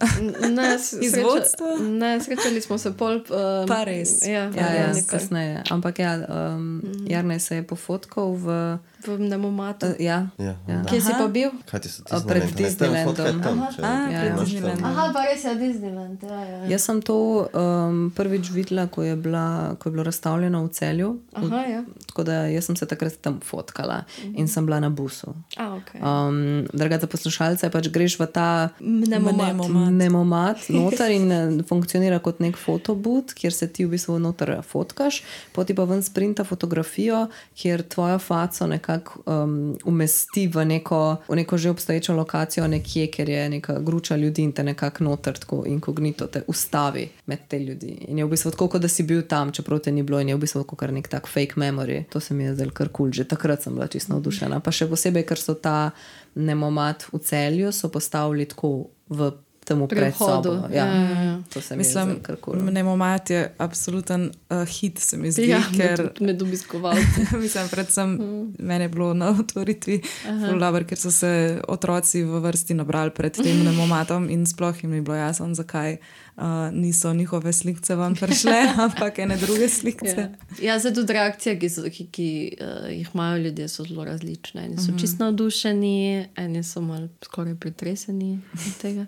Ne, s- Iz sreča- vodstva? Ne, srečali smo se pol. Um, Pa res. Ja, Ja, ja, nekaj. kasneje. Ampak ja, um, Jernej se je pofotkal v... V Nemomatu. Uh, ja, Ja, Ja. Kje si pa bil? Kaj ti so ti A, pred Disneylandom. Tam, če, Aha, Ja, če ja. imaš Disneyland. tam. Aha, pa res je Disneyland. Ja, ja. jaz sem to um, prvič videla, ko je, bila, ko je bilo razstavljeno v Celju. Aha, ja. Tako da jaz sem se takrat tam fotkala in sem bila na busu. A, okay. Um, Draga za poslušalce, pač greš v ta Nemomat. Nemomat. nemomat noter in eh, funkcionira kot nek fotobud, kjer se ti v bistvu noter fotkaš, poti pa ven sprinta fotografijo, kjer tvojo faco nekako um, umesti v neko, v neko že obstoječo lokacijo nekje, ker je neka gruča ljudi in te nekako noter tako inkognito te ustavi med te ljudi. In je v bistvu tako, kot da si bil tam, čeprav te ni bilo in je v bistvu kot nek tak fake memory. To se mi je zdelo kar kul, cool. Že takrat sem bila čisto navdušena. Pa še posebej, ker so ta nemomat v Celju so postavili tako v temu Pri vhodu. predsobo. Ja, ja, ja. To se mi je Mislim, zdelo kar kul. Nemomat je absoluten uh, hit, se mi zdi, Ja, ker med, med obiskovalci. mislim, predvsem mm. meni je bilo na otvoritvi ful dobro, ker so se otroci v vrsti nabrali pred tem nemomatom in sploh jim ni bilo jasno, zakaj uh, niso njihove slikce vam prišle, ampak ene druge slikce. Ja, ja zdaj tudi reakcije, ki, so, ki, ki uh, jih imajo ljudje, so zelo različne. Eni so čisto navdušeni, eni so malo skoraj pretreseni od tega.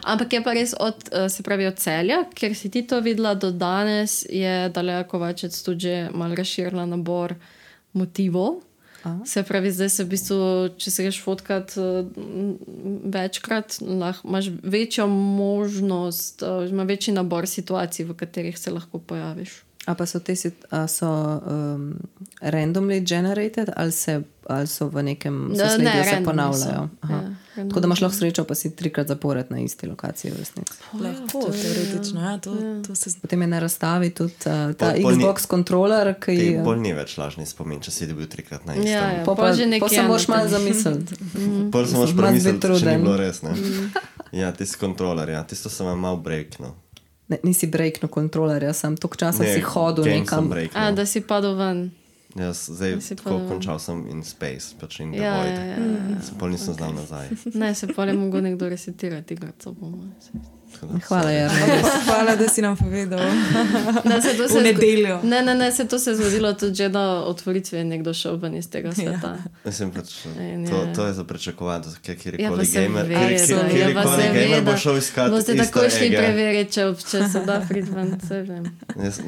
Ampak je pa res od, uh, se pravi od Celja, ker si ti to videla do danes, je Daleja Kovačec tudi že malo razširila nabor motivov. Aha. Se pravi, zdaj se v bistvu, če se greš fotkat uh, večkrat, lahko imaš večjo možnost, uh, ima večji nabor situacij, v katerih se lahko pojaviš. A pa so te sit- a so um, randomly generated ali, se, ali so v nekem Ne, sosledju ne, se randomly ponavljajo? so. Aha. Ja, Tako da imaš lahko srečo, pa si trikrat zapored na isti lokaciji v resnici. Lahko, teoretično, ja, to, to se zdi. Potem je na razstavi tudi uh, ta Pol- pol ni- Xbox kontroler, ki Ti je. bolj ni več lažni spomin, če si dobil trikrat na istem. Ja, ja. Po pol pa, že po nekje se moraš na malo tem. zamisliti. Prvo sem moš Mislim, malo premisliti, biti če ni truden. bilo res. Ne? Ja, tisti kontroler, ja, tisto sem vam mal breaknil. Ne, nisi breaknil kontrolerja, sem toliko časa si hodil game nekam. sem breaknil. A, da si padel ven. Jaz zdaj Si tako pa- končal sem in Space, pač in The Ja, Void. ja, ja, ja. Pol nisem znal nazaj. Ne, se pa ne mogo nekdo resetirati igrati, po mojem. Tako da Hvala, sorry. Jarno. Hvala, da si nam povedal. Ne, se to V se je zgo- nedeljo. Ne, ne, ne, se to se je zgodilo tudi že na otvoritvi, je nekdo šel ven iz tega sveta. Mislim, pač, In to, je- to je za prečakovati, da Ja, kjerkoli pa se gamer, ve, kjer- da, kjer- ja, pa kjerkoli se ve, gamer bo da šel iskati boste easter takoj šli egge. preveriti, če, če se da priti ven, se vem. Jaz-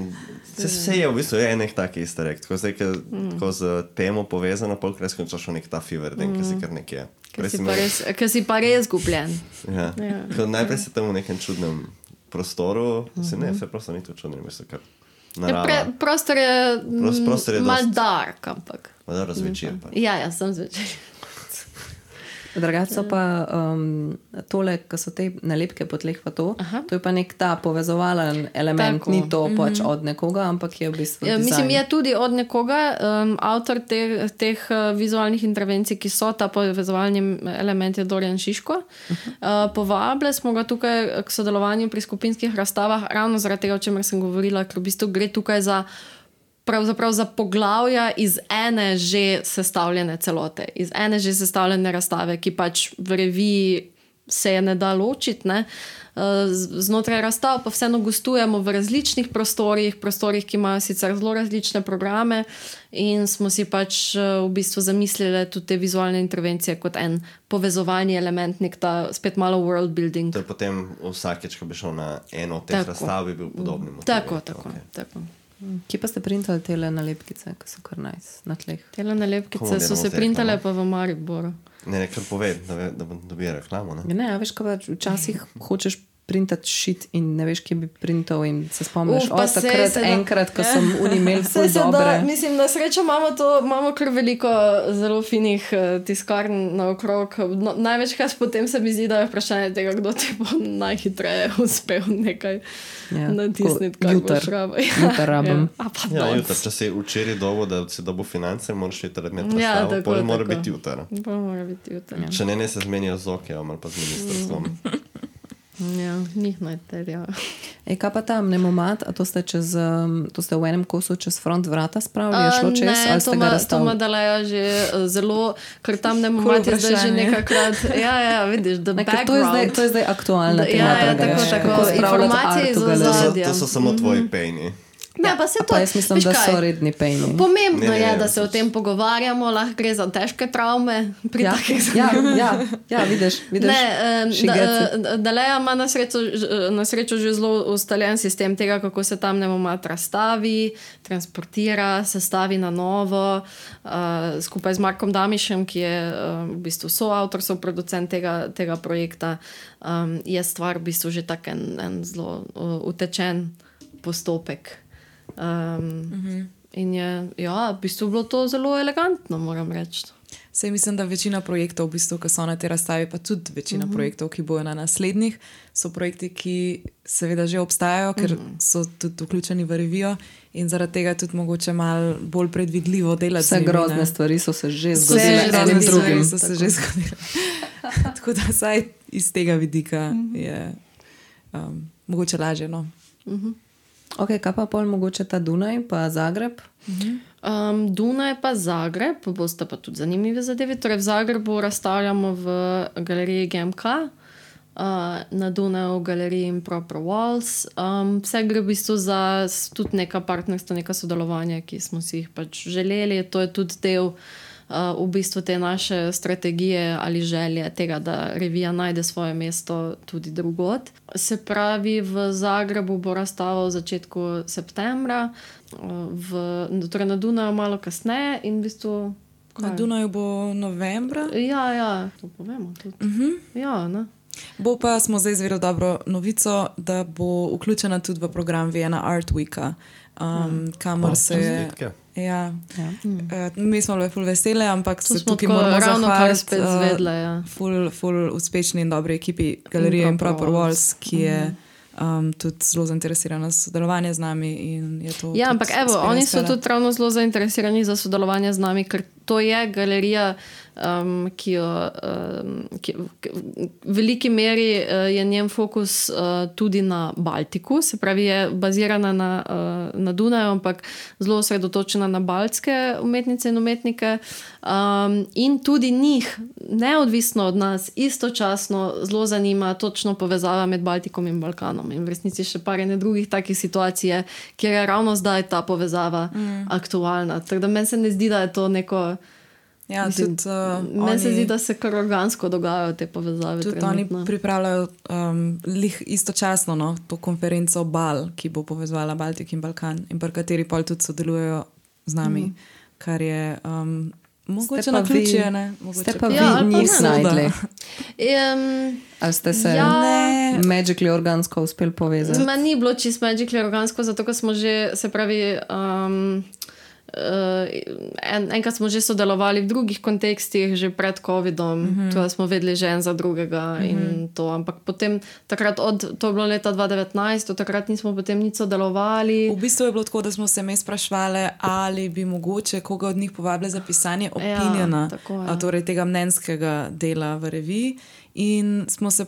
Se vse je v bistvu je enih takih easter egg, tako zdaj, ko Mm. ko z temo povezano, pol krat skončaš v nek ta fever den, ki si kar nekje. Ker Prej si, si pa imel- res- ker si pa res gubljen. Ja. Ja. Ko najprej si tam v nekem čudnem prostoru, se ne, vse prostor ni tu čudno, mislim, kar Ja, narava. pre, prostor je, Pros- prostor je mal dost- dark, ampak. Pa dobro, zvečer pa. Ja, ja, sem zvečer. Drugače so pa um, tole, ko so te nalepke po tleh, pa to, Aha. to je pa nek ta povezovalen element, Tako. ni to pač od nekoga, ampak je v bistvu. Ja, mislim, dizajn. je tudi od nekoga, um, avtor te, teh uh, vizualnih intervencij, ki so ta povezovalni element, je Dorian Šiško. Uh, povabili smo ga tukaj k sodelovanju pri skupinskih razstavah, ravno zaradi tega, o čemer sem govorila, ker v bistvu gre tukaj za. Pravzaprav za poglavja iz ene že sestavljene celote, iz ene že sestavljene razstave, ki pač v reviji se je ne da ločiti. Ne? Uh, z- Znotraj razstav pa vseeno gostujemo v različnih prostorih, prostorih, ki imajo sicer zelo različne programe, in smo si pač uh, v bistvu zamislili tudi te vizualne intervencije kot en povezovalni element, nek ta spet malo world building. To je potem vsakeč, ko bi šel na eno od teh Tako. razstav, bi bil podobni motiv. Tako, tako, Okay. tako. Kje pa ste printali te nalepkice, ki so kar nice na tleh? Tele nalepkice Komu so delamo se zdaj printale reklamo? pa v Mariboru. Ne, ne, kar povej, da, ve, da bom dobil reklamo. Ne? Ja, ne, a veš, kaj pač včasih hočeš printati šit in ne veš, kje bi printal in se spomniš, Uf, pa o sej takrat se da- enkrat, ko sem unimel Vse ful se da, dobre. mislim, na srečo imamo, to, imamo kar veliko zelo finih uh, tiskarn naokrog. No, največkrat potem se mi zdi, da je vprašanje tega, kdo ti bo najhitreje uspel nekaj Ja, ja, natisniti, tako, kar jutr. boš rabil. Jutr rabim. Ja, a pa Ja, danes. jutri, če si včeraj dolgo, da si dobil finance, moraš iti razmerno Ja, razstavo, tako, pol mora tako. biti jutri. Pa mora biti jutri. Ja, Če ne, ne se zmenijo z okjem ali pa z ministrstvom. ja njih naj terjajo. E, kaj pa tam, nemomat, a to ste, čez, um, to ste v enem kosu čez front vrata spravili, je šlo A, čez, ne, ali to ste ga ma- To razstavili? ima Daleja že uh, zelo, ker tam ne Cool momati zdaj že vprašanje. nekakrat. Ja, ja, vidiš, the Ne, ker to, je zdaj, background. to je zdaj aktualna Da- tema. ja, ja, Draga, tako, veš, tako. kako spravljati Informacije art iz v galeriji. To so, ozadja. to so samo tvoji pejni. Ne, pa se to, Pa jaz mislim, veš da kaj? so redni pejni. Pomembno Ne, ne, je, ne, da se o pač- tem pogovarjamo, lahko gre za težke travme pri Ja, takih ja, ja, ja, vidiš, vidiš. Ne, em, She da, gets it. eh, Daleja ima na srečo, ž- na srečo že zelo ustaljen sistem tega, kako se tam nemomat razstavi, transportira, sestavi na novo. Uh, skupaj z Markom Damišem, ki je uh, v bistvu soavtor, soproducent tega, tega projekta, um, je stvar v bistvu že tak en, en zelo uh, utečen postopek. Um, uh-huh. In je ja, v bistvu bilo to zelo elegantno, moram reči. Sej mislim, da večina projektov, v bistvu, ki so na tej razstavi, pa tudi večina uh -huh. projektov, ki bojo na naslednjih, so projekti, ki seveda že obstajajo, ker uh -huh. so tudi vključeni v revijo in zaradi tega tudi mogoče malo bolj predvidljivo delati. Vse z njimi, grozne ne. stvari so se že Vse zgodile enim grozne stvari drugim. so se že zgodile. Tako da vsaj iz tega vidika uh -huh. je um, mogoče lažje. No? Ok, kaj pa pol mogoče ta Dunaj, pa Zagreb? Um, Dunaj pa Zagreb, boste pa tudi zanimivi zadevi. Torej v Zagrebu razstavljamo v galeriji G M K, uh, na Dunaju v galeriji Improper Walls. Um, vse gre v bistvu za s- tudi neka partnerstva, neka sodelovanja, ki smo si jih pač želeli. To je tudi del Uh, v bistvu te naše strategije ali želje tega, da revija najde svoje mesto tudi drugod. Se pravi, v Zagrebu bo razstava v začetku septembra, uh, v, torej na Dunaju malo kasneje in v bistvu. Na kaj? Dunaju bo novembra. Ja, ja, to povemo tudi. Uh -huh. Ja, ne. Bo pa smo zdaj izvedeli dobro novico, da bo vključena tudi v program Vienna Art Weeka, um, kamor se je. Čestitke. Ja. Ja. Uh, mi smo bili ful vesele, ampak To se smo tukaj tako moramo ravno kar zahvaliti spet uh, zvedle. Ja. ful, ful uspešni in dobri ekipi galerije Improper Improper Walls. Walls, ki je um, tudi zelo zainteresirana za sodelovanje z nami. In je to Ja, tudi ampak evo, uspelo oni so izpeljati. tudi ravno zelo zainteresirani za sodelovanje z nami, ker to je galerija, um, ki jo um, ki, ki, v veliki meri uh, je njen fokus uh, tudi na Baltiku, se pravi je bazirana na, uh, na Dunaju, ampak zelo osredotočena na baltske umetnice in umetnike um, in tudi njih, neodvisno od nas, istočasno zelo zanima točno povezava med Baltikom in Balkanom in v resnici še par ene drugih takih situacij je, kjer je ravno zdaj ta povezava mm. aktualna. Tako da meni se ne zdi, da je to neko Ja, Mislim, tudi, uh, meni oni, se zdi, da se kar organsko dogajajo te povezave. Tudi trenutno. oni pripravljajo um, lih istočasno no, to konferenco Bal, ki bo povezvala Baltik in Balkan in pri kateri pol tudi sodelujejo z nami, mm. kar je um, mogoče na ključje, ne? Mogoče Ste pa vi Ja, ali pa njih ne. snajdli? Um, Ali ste se Ja. magically organsko uspeli povezati? Meni ni bilo čisto magically organsko, zato ker smo že, se pravi, um, uh, en, enkrat smo že sodelovali v drugih kontekstih, že pred covidom, mm-hmm. tudi smo vedeli že en za drugega mm-hmm. in to, ampak potem takrat, od, to je bilo leta dva devetnajst, od takrat nismo potem nič sodelovali. V bistvu je bilo tako, da smo se me sprašvali, ali bi mogoče koga od njih povabili za pisanje opiniona, tako je. a, torej tega mnenjskega dela v reviji in smo se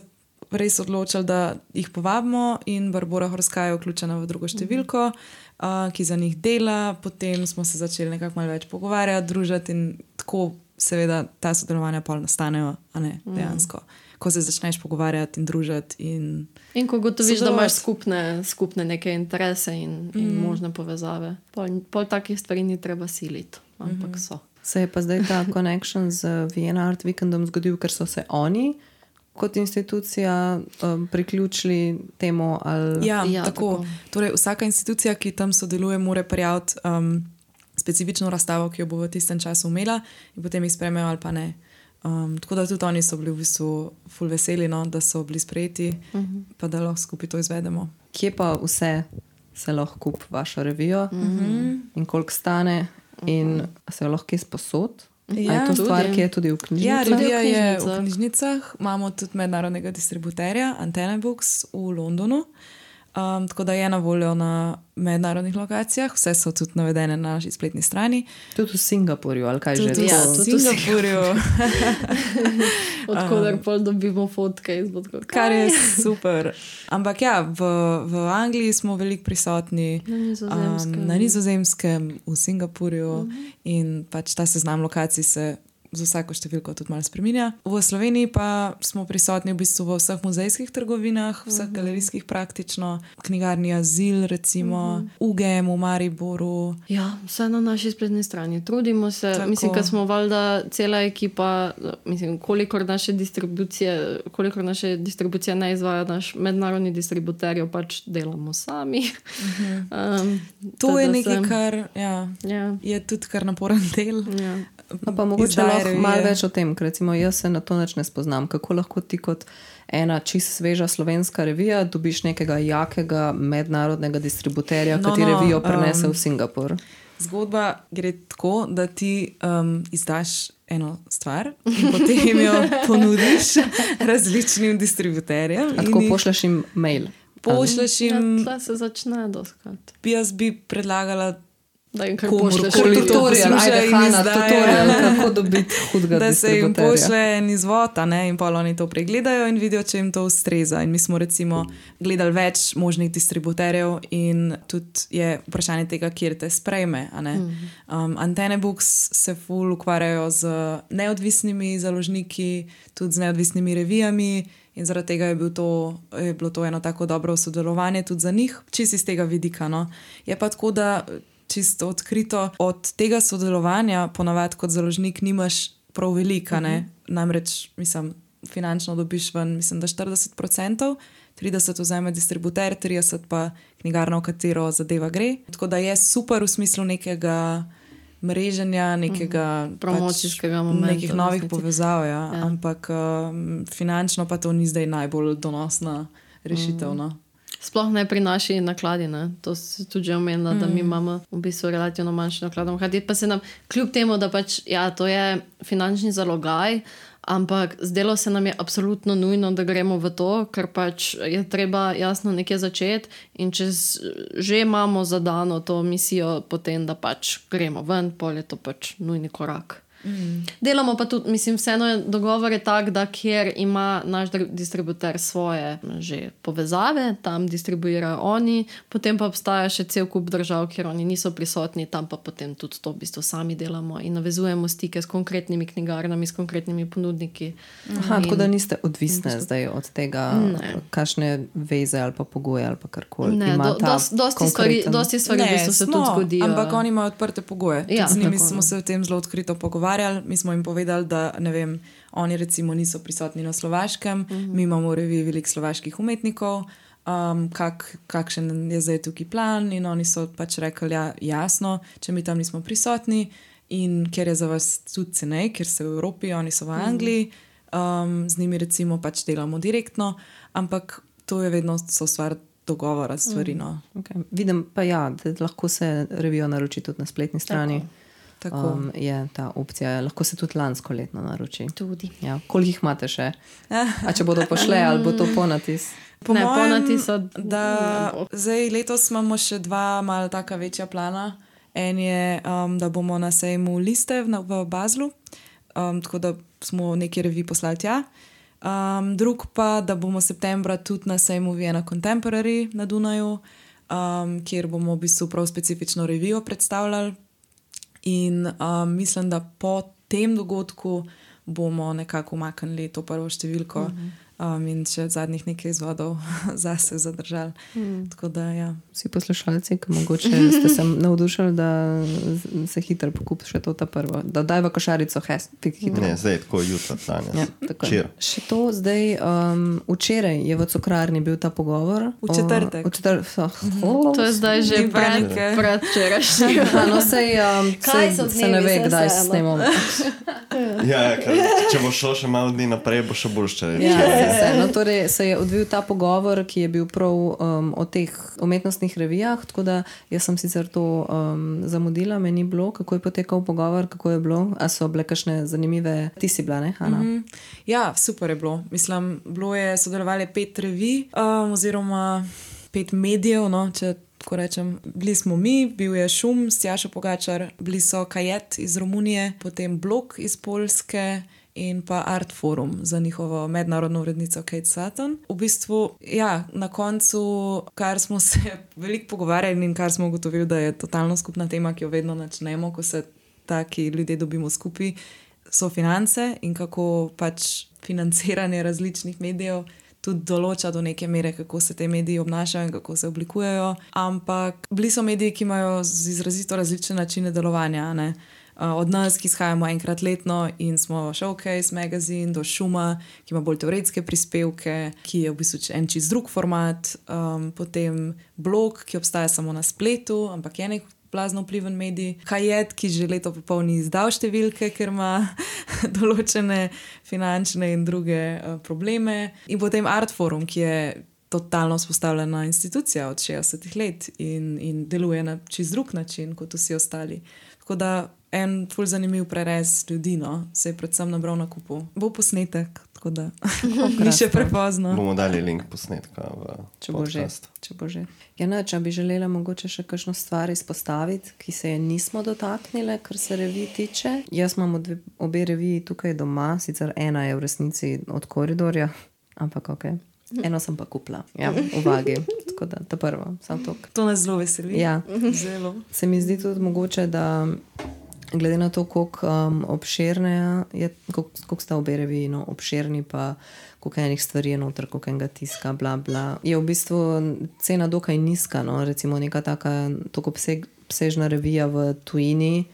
res odločili, da jih povabimo in Barbora Horska je vključena v drugo številko, uh, ki za njih dela, potem smo se začeli nekako malo več pogovarjati, družiti in tako seveda ta sodelovanja pol nastanejo, a ne dejansko. Ko se začneš pogovarjati in družiti in In ko gotoviš, da sodelovati. imaš skupne, skupne neke interese in, in mm. možne povezave. Pol, pol takih stvari ni treba siliti, ampak mm-hmm. so. Se je pa zdaj ta connection z Vienna Art Weekendom zgodil, ker so se oni kot institucija um, priključili temu ali... Ja, Ja, ja tako. tako. Torej, vsaka institucija, ki tam sodeluje, mora prijaviti um, specifično razstavo, ki jo bo v tistem času imela in potem jih sprejmejo ali pa ne. Um, tako da tudi oni so bili v bistvu ful veseli, no, da so bili sprejeti, uh-huh. pa da lahko skupaj to izvedemo. Kje pa vse se lahko kupi vašo revijo Uh-huh. in koliko stane in se jo lahko kje sposod? Ja, je to tudi. stvar, ki je tudi v Ja, knjižnicah? revija je v knjižnicah. knjižnicah, imamo tudi mednarodnega distributerja Antena Books v Londonu, um, tako da je na voljo na mednarodnih lokacijah, vse so tudi navedene na naši spletni strani. Tudi v Singapurju, ali kaj Tudi že? ja, to? v tudi v Singapurju, Odkudar pol dobimo fotke iz bodko. kar je super. Ampak ja, v, v Angliji smo veliko prisotni, Na Nizozemskem. um, na Nizozemskem, v Singapurju uh-huh. in pač ta seznam lokacij se z vsako številko tudi malo spreminja. V Sloveniji pa smo prisotni v bistvu v vseh muzejskih trgovinah, vseh uh-huh. galerijskih praktično, knjigarni Azil recimo, uh-huh. U G M v Mariboru. Ja, vse na naši spletni strani. Trudimo se, Tako. mislim, da smo valjda cela ekipa, mislim, kolikor naše distribucije, kolikor naše distribucije ne izvaja naš mednarodni distributer, jo pač delamo sami. Uh-huh. um, To je da nekaj, se- kar ja, Ja, je tudi kar naporen del. ja. No, pa mogoče Izdaje lahko revije. malo več o tem, ker recimo jaz se na to nič ne spoznam. Kako lahko ti kot ena čist sveža slovenska revija dobiš nekega jakega mednarodnega distributerja, No, ki ti no, revijo prenese um, v Singapur? Zgodba gre tako, da ti um, izdaš eno stvar in potem jo ponudiš različnim distributerjem. A in tako jih pošleš jim mail? pošleš Ja, jim. tle se začne doskrat. Jaz bi predlagala, Da jim kar Komur pošleš. koli. Kar to- Tutorial, poslušajo ajde in Hanna, izdajajo. tutorial, kako dobiti hudega da se jim distributerja. pošle en izvod, a ne, in pol oni to pregledajo in vidijo, če jim to ustreza. In mi smo recimo gledali več možnih distributerjev in tudi je vprašanje tega, kjer te sprejme. a ne. Um, Antene Books se ful ukvarjajo z neodvisnimi založniki, tudi z neodvisnimi revijami. In zaradi tega je, bil to, je bilo to eno tako dobro sodelovanje tudi za njih, čisto iz tega vidika. No. Je pa tako, da čisto odkrito od tega sodelovanja, ponavadi kot založnik, nimaš prav veliko. Uh-huh. Namreč, mislim, finančno dobiš ven, mislim, da štirideset procentov, trideset vzame distributer, trideset pa knjigarna, v katero zadeva gre. Tako da je super v smislu nekega mreženja, nekega Promocijskega pač, momenta, nekih v novih resnici. povezav, ja. Ja. Ja. Ampak um, finančno pa to ni zdaj najbolj donosna rešitev. No. Sploh ne pri naši nakladi. Ne? To se tudi že omenila, mm. da mi imamo v bistvu relativno manjši naklad. Hkrati pa se nam, kljub temu, da pač, ja, to je finančni zalogaj, ampak zdelo se nam je absolutno nujno, da gremo v to, ker pač je treba jasno nekje začeti in če z- že imamo zadano to misijo, potem da pač gremo ven, pol je to pač nujni korak. Mm. Delamo pa tudi, mislim, vseeno je dogovor je tak, da kjer ima naš distributer svoje že povezave, tam distribuirajo oni, potem pa obstaja še cel kup držav, kjer oni niso prisotni, tam pa potem tudi to v bistvu sami delamo in navezujemo stike s konkretnimi knjigarnami, s konkretnimi ponudniki. Aha, in, tako da niste odvisne in, zdaj od tega, ne. kakšne veze ali pa pogoje ali pa karkoli. Ne, do, dosti, dosti stvari, dosti stvari ne, v bistvu se smo, tudi zgodijo. Ampak oni imajo odprte pogoje. Ja, z njimi smo se o tem zelo odkrito pogovarjali. Mi smo jim povedali, da ne vem, oni recimo niso prisotni na Slovaškem, uh-huh. mi imamo v reviji veliko slovaških umetnikov, um, kak, kakšen je zdaj tukaj plan in oni so pač rekli, ja, jasno, če mi tam nismo prisotni in ker je za vas tudi cenej, ker so v Evropi, oni so v Angliji, um, z njimi recimo pač delamo direktno, ampak to je vedno so stvar dogovora stvari. No. Okay. Vidim pa ja, da lahko se revijo naroči tudi na spletni strani. Tako. Tako. Um, je ta opcija, lahko se tudi lansko letno naroči. Tudi. Ja. Koliko jih imate še? A če bodo pošle, ali bo to ponatis? Po ne, mojem, ponatis od... da zdaj letos imamo še dva malo taka večja plana. En je, um, da bomo na sejmu Liste v, v Baslu, um, tako da smo neki reviji poslali tja. Um, drug pa, da bomo septembra tudi na sejmu Vienna Contemporary na Dunaju, um, kjer bomo v bistvu prav specifično revijo predstavljali. In um, mislim, da po tem dogodku bomo nekako umaknili to prvo številko um, in še zadnjih nekaj izvodov zase zadržali. Mm. Tako da, ja. Vsi poslušalci, ki mogoče ste se navdušali, da se hitro pokup še to ta prvo. Da daj v košarico hes, hitro. Ne, zdaj tako jutro, danes. Ja, tako. Še to zdaj, um, včeraj je v Cukrarni bil ta pogovor. V četrtek. O, v četrtek. Oh, oh, to je zdaj že pred, pred včerajšnjim. No, sej, um, Kaj so se ne ve, kdaj se snemamo. Ja, ker, če bo šlo še malo dni naprej, bo še bolj ščereč. Ja, se, no, torej se je odvil ta pogovor, ki je bil prav um, o teh umetnostnih revijah, tako da jaz sem sicer to um, zamudila, me ni bilo, kako je potekal pogovor, kako je bilo, a so bile kakšne zanimive, ti si bila, ne, Hanna? Mm-hmm. Ja, super je bilo, mislim, bilo je sodelovali pet revij, um, oziroma pet medijev, no, če tako rečem. Bili smo mi, bil je Šum, Stjaša Pogačar, bili so Kajet iz Romunije, potem Blok iz Poljske in pa Art Forum za njihovo mednarodno urednico Kate Sutton. V bistvu, ja, na koncu, kar smo se veliko pogovarjali in kar smo ugotovili, da je totalno skupna tema, ki jo vedno načnemo, ko se taki ljudje dobimo skupaj, so finance in kako pač financiranje različnih medijev tudi določa do neke mere, kako se te mediji obnašajo in kako se oblikujejo. Ampak bili so mediji, ki imajo izrazito različne načine delovanja, ne? Od nas, ki izhajamo enkrat letno in smo Showcase magazine, do Šuma, ki ima bolj teoretske prispevke, ki je v bistvu en čist drug format, um, potem Blog, ki obstaja samo na spletu, ampak je nek blazno vpliven medij, Kajet, ki že leto popolni izdal številke, ker ima določene finančne in druge uh, probleme, in potem Art Forum, ki je totalno vzpostavljena institucija od šestdesetih let in, in deluje na čist drug način kot vsi ostali. Tako da en ful zanimiv prerez ljudi, no, se je predvsem nabral na kupu. Bo posnetek, tako da ni še prepozno. Bomo dali link posnetka v če bo podcast. Že, če bo že. Ja, ne, če bi želela mogoče še kakšno stvar izpostaviti, ki se je nismo dotaknile, kar se revij tiče. Jaz imam dve, obe reviji tukaj doma, sicer ena je v resnici od Koridorja, ampak ok. Eno sem pa kupila, ja, v Vagi. Tako da, ta prvo, sam tok. To nas zelo veseli. Ja. Zelo. Se mi zdi tudi mogoče, da glede na to, koliko um, obširne je, koliko, koliko sta obe reviji, no, obširni, pa koliko enih stvari je noter, koliko enega tiska, bla, bla. Je v bistvu cena dokaj nizka, no, recimo neka taka toliko obseg, obsežna revija v tujini,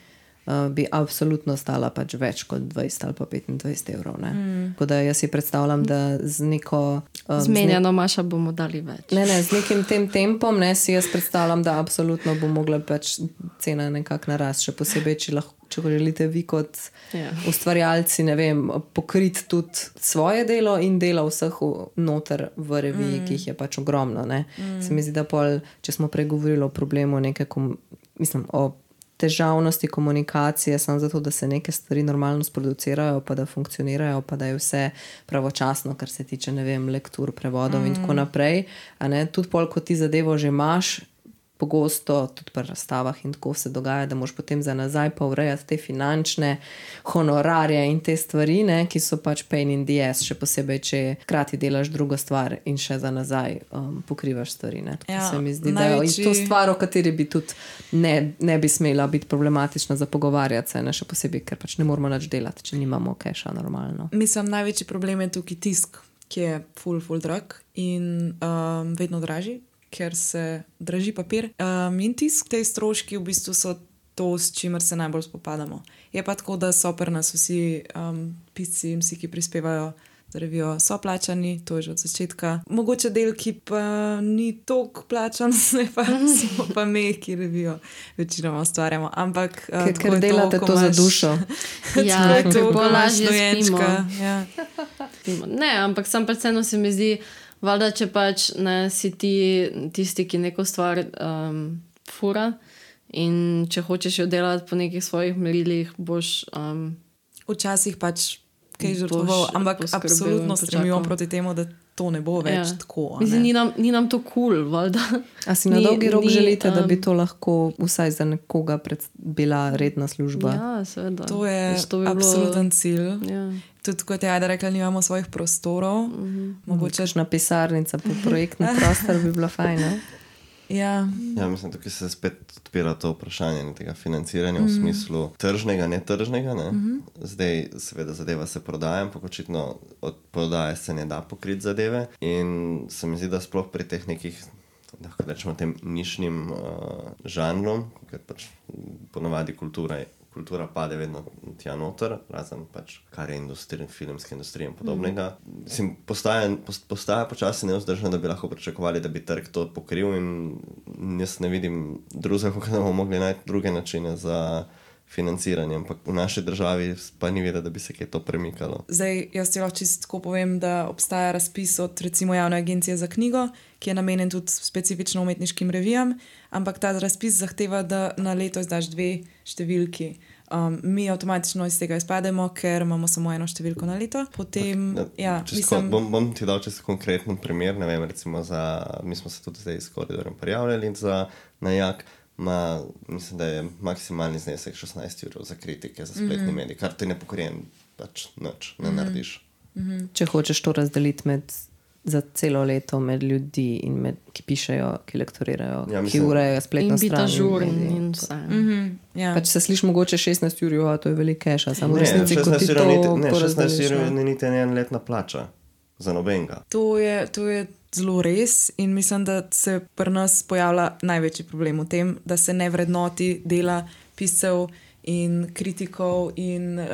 Uh, bi absolutno stala pač več kot dvajset ali pa petindvajset evrov. Ne? Mm. Tako da jaz si predstavljam, da z neko... Um, Zmenjeno, nek... Maša, bomo dali več. Ne, ne, z nekim tem tempom, ne, si jaz predstavljam, da absolutno bo mogla pač cena nekako narast, še posebej, če lahko, če želite vi kot yeah. ustvarjalci, ne vem, pokriti tudi svoje delo in delo vseh noter v reviji, mm. ki jih je pač ogromno. Ne? Mm. Se mi zdi, da pol, če smo pregovorili o problemu neke, kom, mislim, o težavnosti komunikacije, samo zato, da se neke stvari normalno sproducirajo, pa da funkcionirajo, pa da je vse pravočasno, kar se tiče, ne vem, lektur, prevodov mm. in tako naprej. A ne, tudi pol, ko ti zadevo že imaš, pogosto tudi pri razstavah in tako se dogaja, da moš potem za nazaj pa urejati te finančne honorarje in te stvari, ne, ki so pač pain in the ass, še posebej, če krati delaš drugo stvar in še za nazaj um, pokrivaš stvari. Ne. Tako Ja, se mi zdi, največji- da je to stvar, o kateri bi tudi ne, ne bi smela biti problematična za pogovarjati se, ne, še posebej, ker pač ne moramo nič delati, če nimamo keša normalno. Mislim, največji problem je tukaj tisk, ki je full, full drag in um, vedno dražji, ker se draži papir. Um, in tisk, te stroški v bistvu so to, s čimer se najbolj spopadamo. Je pa tako, da so pri nas vsi um, pisci in vsi, ki prispevajo za revijo, so plačani, to je že od začetka. Mogoče del, ki pa ni toliko plačan, ne pa smo pa me, ki revijo večinoma ustvarjamo. Ampak uh, Ker, tako ker je to, delate ko to za imaš- dušo. Ja, Tako je to, ker ko bolj imaš lažje dojenčka, spimo. ja. Ne, ampak sam pač vseeno se mi zdi, valjda, če pač ne si ti tisti, ki neko stvar um, fura in če hočeš jo delati po nekih svojih merilih, boš um, Včasih pač kaj Boš žrtvoval, ampak poskrbel absolutno in stremimo počakal. proti temu, da to ne bo več Ja. tako. a Mislim, ne. ni nam, ni nam to kul, cool, valjda. A si na Ni- dolgi rok ni, želite, da bi um, to lahko vsaj za nekoga pred, bila redna služba? Ja, seveda. To je Pač to bi bilo- absoluten cilj. Ja. Tudi kot je Ajda rekla, nimamo svojih prostorov. Mogoče Kakšna pisarnica, po projektni prostor bi bila fajna. ja, Ja, mislim, tukaj se spet odpira to vprašanje ne, tega financiranja mm -hmm. v smislu tržnega, netržnega. Ne? Mm -hmm. Zdaj, seveda, zadeva se prodaja, ampak očitno od prodaje se ne da pokriti zadeve. In se mi zdi, da sploh pri teh nekih, da rečemo, tem nišnim uh, žanrom, ker pač ponavadi kultura je. Kultura pade vedno tja noter, razen pač kar je industrija, filmska industrija in podobnega. Mm. Postaja, postaja počasi nevzdržno, da bi lahko pričakovali, da bi trg to pokril in jaz ne vidim drugega, kako da bomo mogli najti druge načine za financiranje, ampak v naši državi pa ni videti, da bi se kaj to premikalo. zdaj jaz ti lahko čisto tako povem, da obstaja razpis od recimo Javne agencije za knjigo, ki je namenjen tudi specifično umetniškim revijam, ampak ta razpis zahteva, da na leto izdaš dve številki. Um, mi avtomatično iz tega izpademo, ker imamo samo eno številko na leto. Potem, Ne, ja, čisto, mislim, bom, bom ti dal čisto konkreten primer. Ne vem, recimo za, mi smo se tudi zdaj s koridorjem prijavljali za najak. Ma, mislim, da je maksimalni znesek šestnajst evrov za kritike, za spletni mm -hmm. medij, kar ti ne pokrije, pač nič, ne mm -hmm. narediš. Če hočeš to razdeliti med, za celo leto med ljudi, in med, ki pišejo, ki lektorirajo, Ja, ki mislim- urejajo spletno In biti stran. ažuren medije. in vse. mm, ja. Pač se sliši mogoče šestnajst ur, jo, to je veliko keša, samo v Ne, resnici, ko ti šestnajst to evrov niti- ne, šestnajst porazdeliš, evrov ne. ni niti en letna plača za nobenega. To je, to je zelo res in mislim, da se pri nas pojavlja največji problem v tem, da se ne vrednoti dela piscev in kritikov in uh,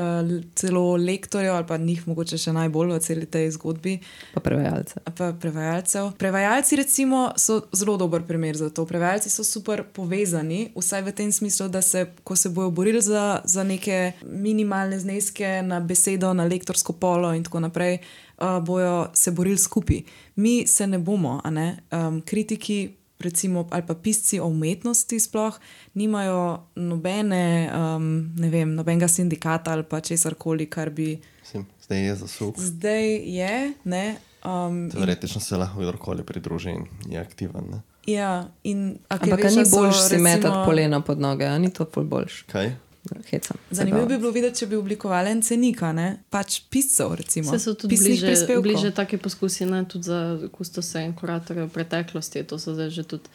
celo lektorjev ali pa njih mogoče še najbolj v celi tej zgodbi, Pa prevajalce. pa prevajalcev. Prevajalci recimo so zelo dober primer za to. Prevajalci so super povezani, vsaj v tem smislu, da se, ko se bojo borili za, za neke minimalne zneske na besedo, na lektorsko polo in tako naprej, uh, bojo se borili skupaj. Mi se ne bomo, a ne? Um, kritiki recimo, ali pa pisci o umetnosti sploh nimajo nobene, um, ne vem, nobenega sindikata ali pa česarkoli, kar bi Mislim, zdaj je zasuk. zdaj je, ne. Um, Teoretično se lahko kdorkoli pridruži in je aktiven. Ne? Ja, in a kaj Ampak a veš, ni da so boljš si recimo- metati polena pod noge, a ni to ful boljš. Kaj? Hecam. Zanimivo bi bilo videti, če bi oblikovali en cenik, a ne? Pač piscev, recimo. Vse so tudi pisnih bliže, prispevkov. bliže take poskusi, ne, tudi za kustose in kuratorje v preteklosti. To so zdaj že tudi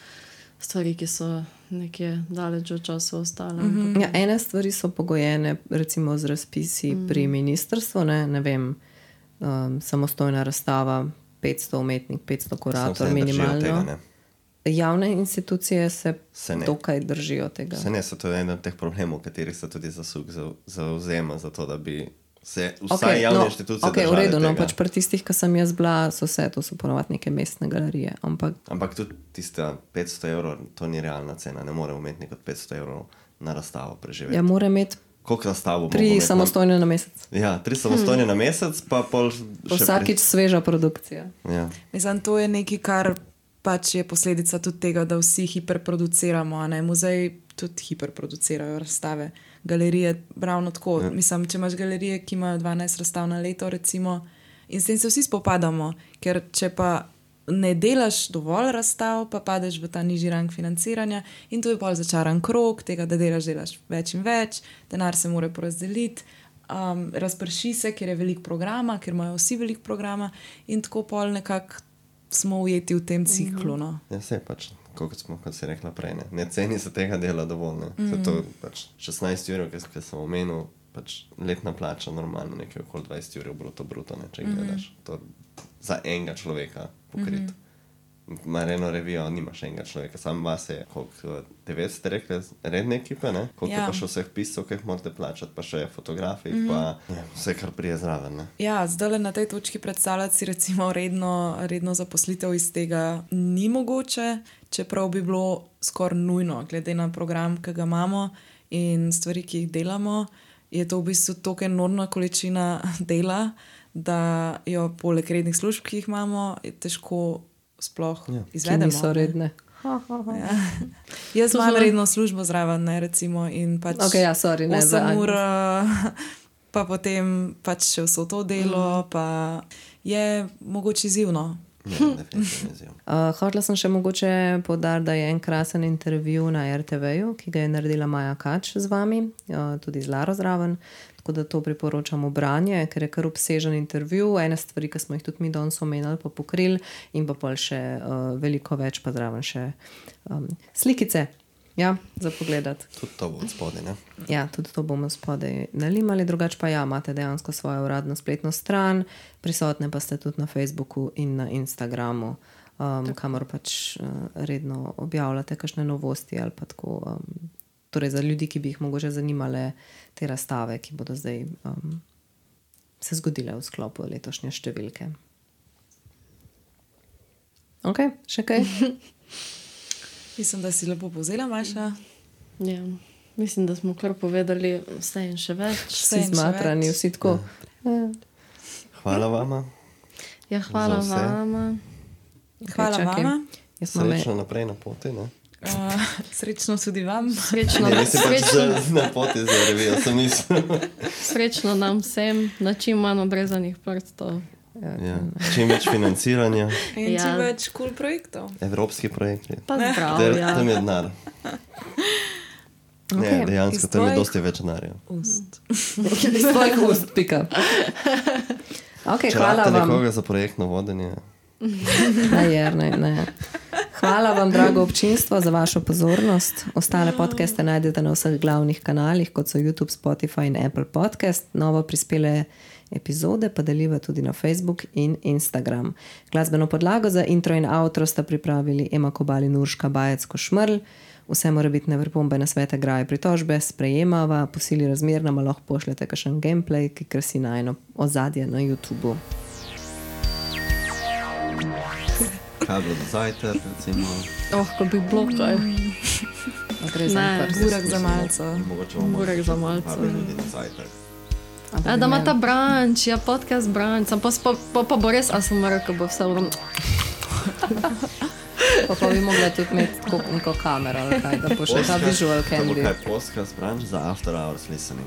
stvari, ki so nekje daleč od časa ostale. Mm -hmm. Ja, ene stvari so pogojene recimo z razpisi mm. pri ministrstvu, ne, ne vem, um, samostojna razstava, petsto umetnik, petsto kurator, Samo se ne držijo minimalno. tega, ne. Javne institucije se, Se ne. dokaj držijo tega. Se ne, so to eden od teh problemov, katerih se tudi zasuk za- zauzema za to, da bi se vsaj okay, javne no, inštitucije okay, v držale redu, no, tega. pač pri tistih, ki sem jaz bila, so vse, to so ponovadi neke mestne galerije. Ampak Ampak tudi tista petsto evrov, to ni realna cena. Ne more umetnik od petsto evrov na razstavo preživeti. ja, mora imeti Koliko razstav bo tri samostojne na mesec. Na... Ja, tri samostojne hmm. na mesec, pa pol še Vsakič sveža produkcija. Pri... Ja. Mislim, to je nekaj, kar pač je posledica tudi tega, da vsi hiperproduciramo. a ne? Muzeji tudi hiperproducirajo razstave. Galerije, ravno tako. Ja. Mislim, če imaš galerije, ki imajo dvanajst razstav na leto, recimo, in s tem se vsi spopadamo, ker če pa ne delaš dovolj razstav, pa padeš v ta nižji rang financiranja in to je pol začaran krog tega, da delaš, delaš več in več, denar se mora porazdeliti, um, razprši se, ker je veliko programa, ker imajo vsi veliko programa in tako pol nekako smo ujeti v tem ciklu. No. Ja, se pač, kot smo, kot si rekla prej, ne, ne ceni se tega dela dovolj. Ne. Mm. Zato pač šestnajst ur, ki sem omenil, pač letna plača normalno nekaj okoli dvajset ur bruto bruto, ne, če mm. gledaš. To za enega človeka pokrit. Mm-hmm. Mar eno revijo nimaš enega človeka, sam vas je koliko devet ste rekli redne ekipe, ne? Koliko ja. Pa še vseh piscev, ki jih morate plačati, pa še fotografi, mm-hmm. pa ja, vse kar prije zraven. Ne? Ja, zdaj na tej točki predstavljati si recimo redno, redno zaposlitev iz tega ni mogoče, čeprav bi bilo skoraj nujno, glede na program, ki ga imamo in stvari, ki jih delamo, je to v bistvu toliko enormna količina dela, da jo poleg rednih služb, ki jih imamo, je težko sploh ja. Izvedemo. Ki niso redne. Ja. Jaz to imam zelo... redno službo zraven, ne, recimo, in pač okay, ja, sorry, ne, osem ur, pa potem pač še vso to delo, mm. pa je mogoče izzivno. Ja, definitivno. uh, Hotela sem še mogoče poudariti, da je en krasen intervju na er te veju, ki ga je naredila Maja Kač z vami, uh, tudi z Laro zraven. Tako da to priporočamo branje, ker je kar obsežen intervju, ene stvari, ki smo jih tudi mi danes omenjali, pa pokrili in pa pol še uh, veliko več, pa zraven še um, slikice, ja, za pogledati. Tudi to bo od spodaj, ne? Ja, tudi to bomo spodaj nalimali, drugače pa ja, imate dejansko svojo uradno spletno stran, prisotne pa ste tudi na Facebooku in na Instagramu, um, kamor pač uh, redno objavljate kakšne novosti ali pa tako, um, torej za ljudi, ki bi jih mogoče zanimale te razstave, ki bodo zdaj um, se zgodile v sklopu letošnje številke. Ok, še kaj? Mislim, da si lepo povzela, Maša. Ja, mislim, da smo kar povedali vse in še več. Vsi zmatrani, vsi tako. Ja. Hvala vama. Ja, hvala vama. Hvala okay, vama. Srečno naprej na poti, ne? Uh, srečno tudi vam. Srečno, ne, srečno. Pač na poti za revijo, sem mislil. Srečno nam vsem, na čim manj obrezanih prstov. Ja. Čim več financiranja. In ja. Čim več cool projektov. Evropski projekti. Pa zdrav, ja. Tam je denar. Okay. Ne, dejansko, tam je dosti več denarja. Ust. Iz tvojih ust, pika. Okay, če hvala vam. Če nekoga za projektno vodenje. Ne, ne, ne. Hvala vam, drago občinstvo, za vašo pozornost. Ostale podcaste najdete na vseh glavnih kanalih, kot so YouTube, Spotify in Apple Podcast. Novo prispele epizode pa deliva tudi na Facebook in Instagram. Glasbeno podlago za intro in outro sta pripravili Ema Kobal in Urška Bajec-Košmrl. Vse mora biti na pripombe, na svete, graje, pritožbe, sprejemava, po sili razmer nam lahko pošljete kakšen gameplay, ki krasi najno ozadje na YouTubu. Kaj bilo do zajter, recimo? Oh, ko bi bilo kaj. Ne, burek za malco. Burek za malco. Ja, da ima ta branč, ja, podcast branč. Pa, pa, pa, pa bo res, a sem rekel, bo vse vrom. Pa pa bi mogla tudi imeti tako neko kamero, ali kaj, da bo še ta visual candy. To bo kaj podcast branč za after hours listening.